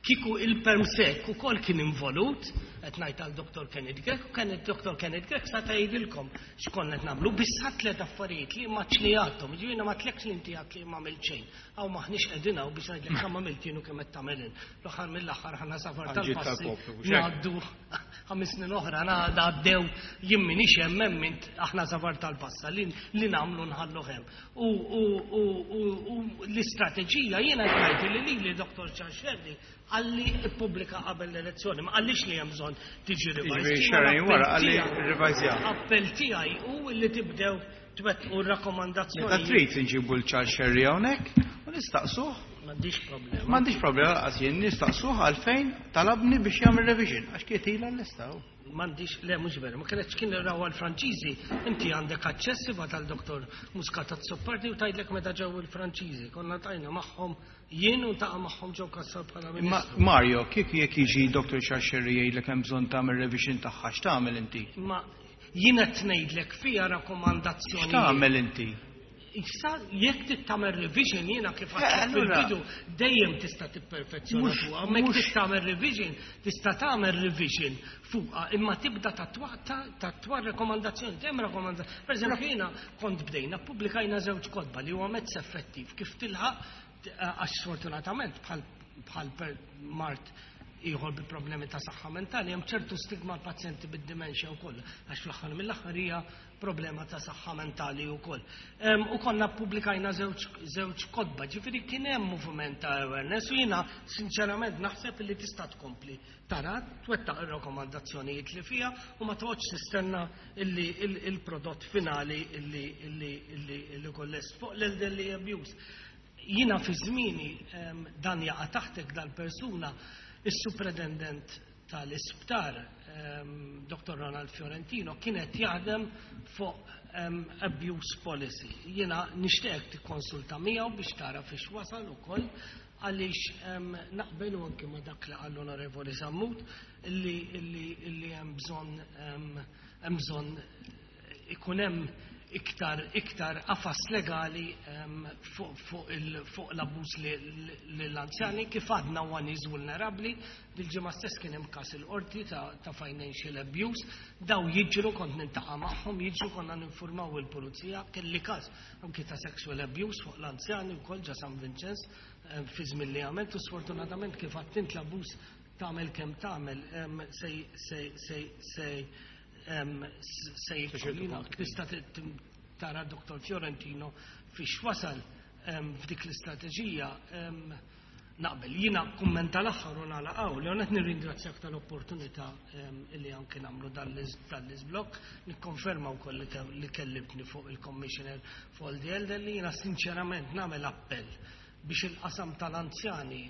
kieku il-permsec ukoll kien involut, qed ngħid għal Dr. Kenneth Grech, u kien id-Dr. Kenneth Grech sa tgħidilkom x'konna qed nagħmlu, biss ħadd tliet affarijiet li ma ċli għadhom, ġifieri ma tlekx li inti għad li ma għamilt xejn. Aw maħniex qegħdin hawn biex ngħidlek kemm għamilt jien u kemm qed tagħmel int. L-aħħar mill-aħħar ħana safar
Għal ġid
tal-passi
tal-poplu, mhux hekk?
ngħaddu 5 snin oħra għaddew jien m'iniex hemm, hemm int aħna safar tal-passa li nagħmlu nħallu hemm. U l-istrateġija jiena ngħid li lili Dr. Charles Scerri għalli ippubblika qabel l-elezzjoni, ma qallix li hemm bżonn tiġi revised.
Jiġifieri
Jiena
xahrejn wara
l-appell
qalli
tiegħi-
revise.
Appell tiegħi hu li tibdew twettqu r-rakkomandazzjoni.
Meta trid inġibu l-Charles Scerri hawnhekk u nistaqsuh.
M'għandix problema.
M'għandix problema laqas jien nistaqsuh għalfejn talabni biex jagħmel revision għax kienet ilha l-lista.
M'għandix, le mhux veru, ma kienx kien raw għall-Franċiżi, inti għandek aċċess iva tal-Doktor Muscat Azzopardi u tgħidlek meta ġew il-Franċiżi, konna tajna magħhom jien u taqa' magħhom ġew Cassar bħala
Imma
Ministru.
Mario, kif jekk jiġi Dr. Charles Scerri jgħidlek hemm bżonn tagħmel revision tagħha, x'tagħmel inti?
Ma jien qed ngħidlek fiha rakkomandazzjoni.
X'tagħmel inti?
Issa jekk trid tagħmel revision jiena kif għedt fil-bidu dejjem tista' tipperfezzjona fuqha, ma jekk trid tagħmel revision, tista' tagħmel revision fuqha, imma tibda tatwa rakkomandazzjoni, hemm rakkomandazzjoni. Per eżempju jiena kont bdejna ppubblikajna żewġ kotba li huwa mezz effettiv kif tilħaq għax sfortunatament bħal per mart ieħor bi problemi ta' saħħa mentali, hemm ċertu stigma l-pazjenti bid-dimensja wkoll, għax fl-aħħar mill-aħħar hija problema ta' saħħa mentali wkoll. U konna ppubblikajna żewġ kotba, ġifieri kien hemm moviment ta' awareness u jiena sinċerament naħseb li tista' tkompli tara twettaq ir-rakkomandazzjonijiet li fiha u ma toqgħodx tistenna illi il-prodott finali illi kollest fuq l-elderly abuse. Jiena fi żmieni dan jaqa' taħtek dal-persuna, is-superintendent tal-isptar, Dr. Ronald Fiorentino, kienet jaħdem fuq abuse policy. Jiena nixtieq tikkonsulta miegħu biex tara fiex wasal ukoll, għaliex naqbel u anke ma dak li qal l-Onorevoli Sammut illi hemm bżonn ikun hemm iktar iktar qafas legali fuq l-abbuż lill-anzjani kif għadna huwa nies vulnerabbli. Dil-ġimgħa stess kien hemm każ il-qorti ta' financial abuse. Daw jiġru, kont niltaqa' magħhom, jiġru, konna ninfurmaw il-pulizija. Kelli każ anki ta' sexual abuse fuq l-anzjani wkoll ġa San Vinċenz fi żmien li għamilt, u sfortunatament kif għattint l-abbuż tagħmel kemm tagħmel se se se se se jibqa'. Tista' tara Dr. Fiorentino fiex wasal f'dik l-istrateġija naqbel. Jiena kummenta l-aħħar u nagħlaq hawn li qed nirringrazzjak tal-opportunità li anke nagħmlu dan l-iżblokk. Nikkonferma wkoll li kellibni fuq il-Commissioner for the Elderly. Jiena sinċerament nagħmel appell biex il-qasam tal-anzjani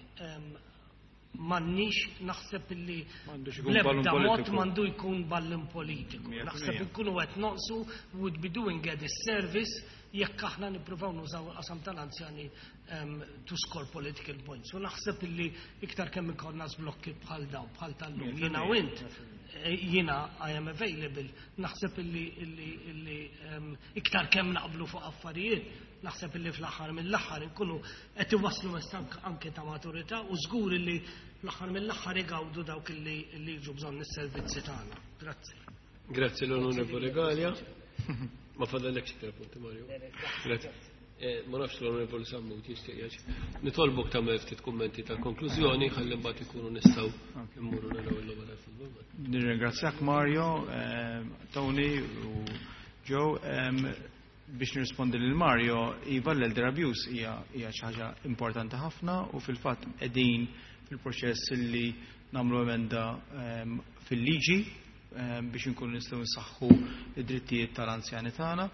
m'għandniex, naħseb illi
M'għandux ikun ballun
l-ebda mod
politiku.
m'għandu jkun ballun politiku.
Mija
Naħseb nkunu qed noqsu, would be doing a disservice jekk aħna nippruvaw nużaw il-qasam tal-anzjani to score political points. U naħseb illi iktar kemm ikollna żblokki bħal daw, bħal tal-lum,
Mija
jiena u
fil-mija,
int, jiena I am available, naħseb illi iktar kemm naqblu fuq affarijiet, naħseb illi fl-aħħar mill-aħħar nkunu qed iwasslu messaġġ anke ta' maturità u żgur illi fl-aħħar mill-aħħar igawdu dawk illi jiġu bżonn is-servizzi tagħna. Grazzi.
Grazzi l-Onorevole Galea. Ma fadallek xi punti, Mario. Grazzi. Ma nafx l-Onorevole Sammut jixtieq jgħid. Nitolbok tagħmel ftit kummenti ta' konklużjoni ħalli mbagħad ikunu nistgħu immurru naraw il-logħba tal-futbol.
Nirringrazzjak Mario, Tony u Joe. Biex nirrispondi lil Mario, iva, l-elder abuse hija xi ħaġa importanti ħafna u fil-fatt qegħdin fil-proċess li nagħmlu emenda fil-liġi biex inkunu nistgħu nsaħħu id-drittijiet tal-anzjani tagħna.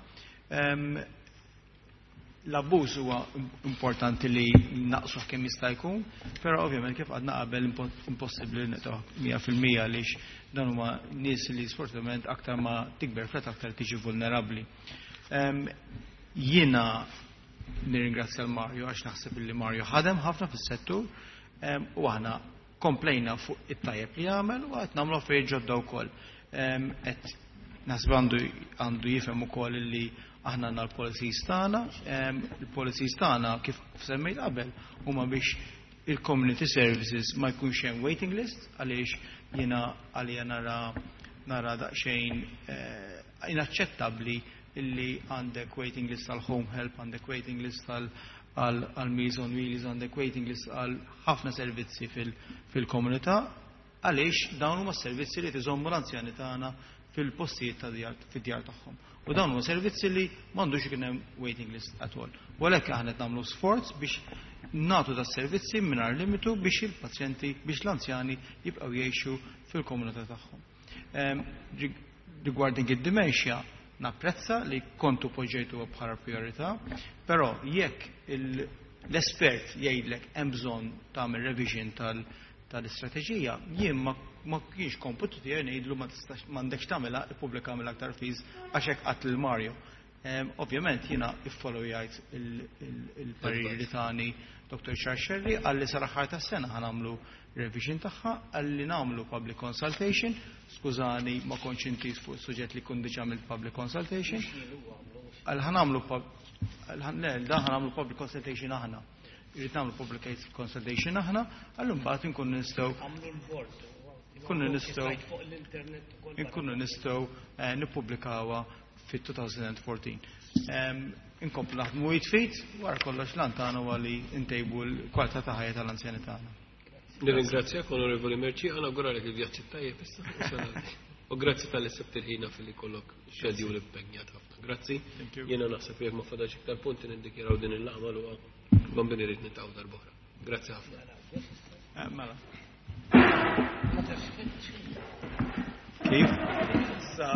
L-abbuż huwa importanti li naqsuh kemm jista' jkun, però ovvjament kif għadna qabel impossibbli naqsuh 100% għaliex dan huma nies li sfortunatament aktar ma tikber fl-età aktar tiġi vulnerabbli. Jiena nirringrazzja l-Mario għax naħseb li Mario ħadem ħafna fis-settur u aħna komplejna fuq it-tajjeb li għamel u qed nagħmlu affarijiet ġodda wkoll. Qed naħseb għandu jifhem ukoll li aħna għandna l-policies tagħna, il-policies tagħna kif semmejt qabel huma biex il-community services ma jkunx hemm waiting list, għaliex jiena għalija nara daqsxejn inaċċettabbli illi għandek waiting list għal home help, għandek waiting list għal Meals on Wheels, għandek waiting list għal ħafna servizzi fil-komunità, għaliex dawn huma servizzi li tiżommu l-anzjani tagħna fil-postijiet ta' djar, fid-djar tagħhom. U dawn huma servizzi li m'għandux ikun hemm waiting list at all. U għalhekk aħna qed nagħmlu sforz biex nagħtu da servizzi mingħajr limitu biex il-pazjenti, biex l-anzjani jibqgħu jgħixu fil-komunità tagħhom. Regarding id-dementia, napprezza li kontu poġġejtu bħala priorità, però jekk l-espert jgħidlek hemm bżonn tagħmel revision tal-istrateġija, jien ma kienx komputu tiegħi ngħidlu ma tistax, m'għandekx tagħmilha, ippubblika mill-aktar fis għax hekk qatt lil Mario. Ovvjament jiena iffollowjajt il-pariri li tani Dr. Charles Scerri, għalli sal-aħħar tas-sena ħa nagħmlu revision tagħha, għalli nagħmlu public consultation. Skużani, ma kontx intiż fuq suġġett li kun diġà mill public consultation. Għal ħa nagħmlu għal ħan-, le, dan ħa nagħmlu public consultation aħna. Irrid nagħmlu public consultation aħna, għallu mbagħad inkunu nistgħu
Għamlu l-board.
Nkunu nistgħu
Fuq l-internet ukoll.
Inkunu nistgħu nippubblikawha fit-2014. Inkomplu naħdmu jitfit, wara kollox lan tagħna huwa li ntejbu l-kwalità ta' ħajja tal-anzjani tagħna.
Nirringrazzjak, Onorevoli Mercieca, nawguralek il-vjaġġ tajjeb issa. U grazzi talli sibt il-ħin fil-li kollok schedule impenjat ħafna. Grazzi.
Thank you.
Jiena naħseb jekk ma fadax iktar punti niddikjaraw din il-laqgħa magħluqa. Bambini rrid niltaqgħu darb'oħra. Grazzi ħafna.
Mela. Kif? Sa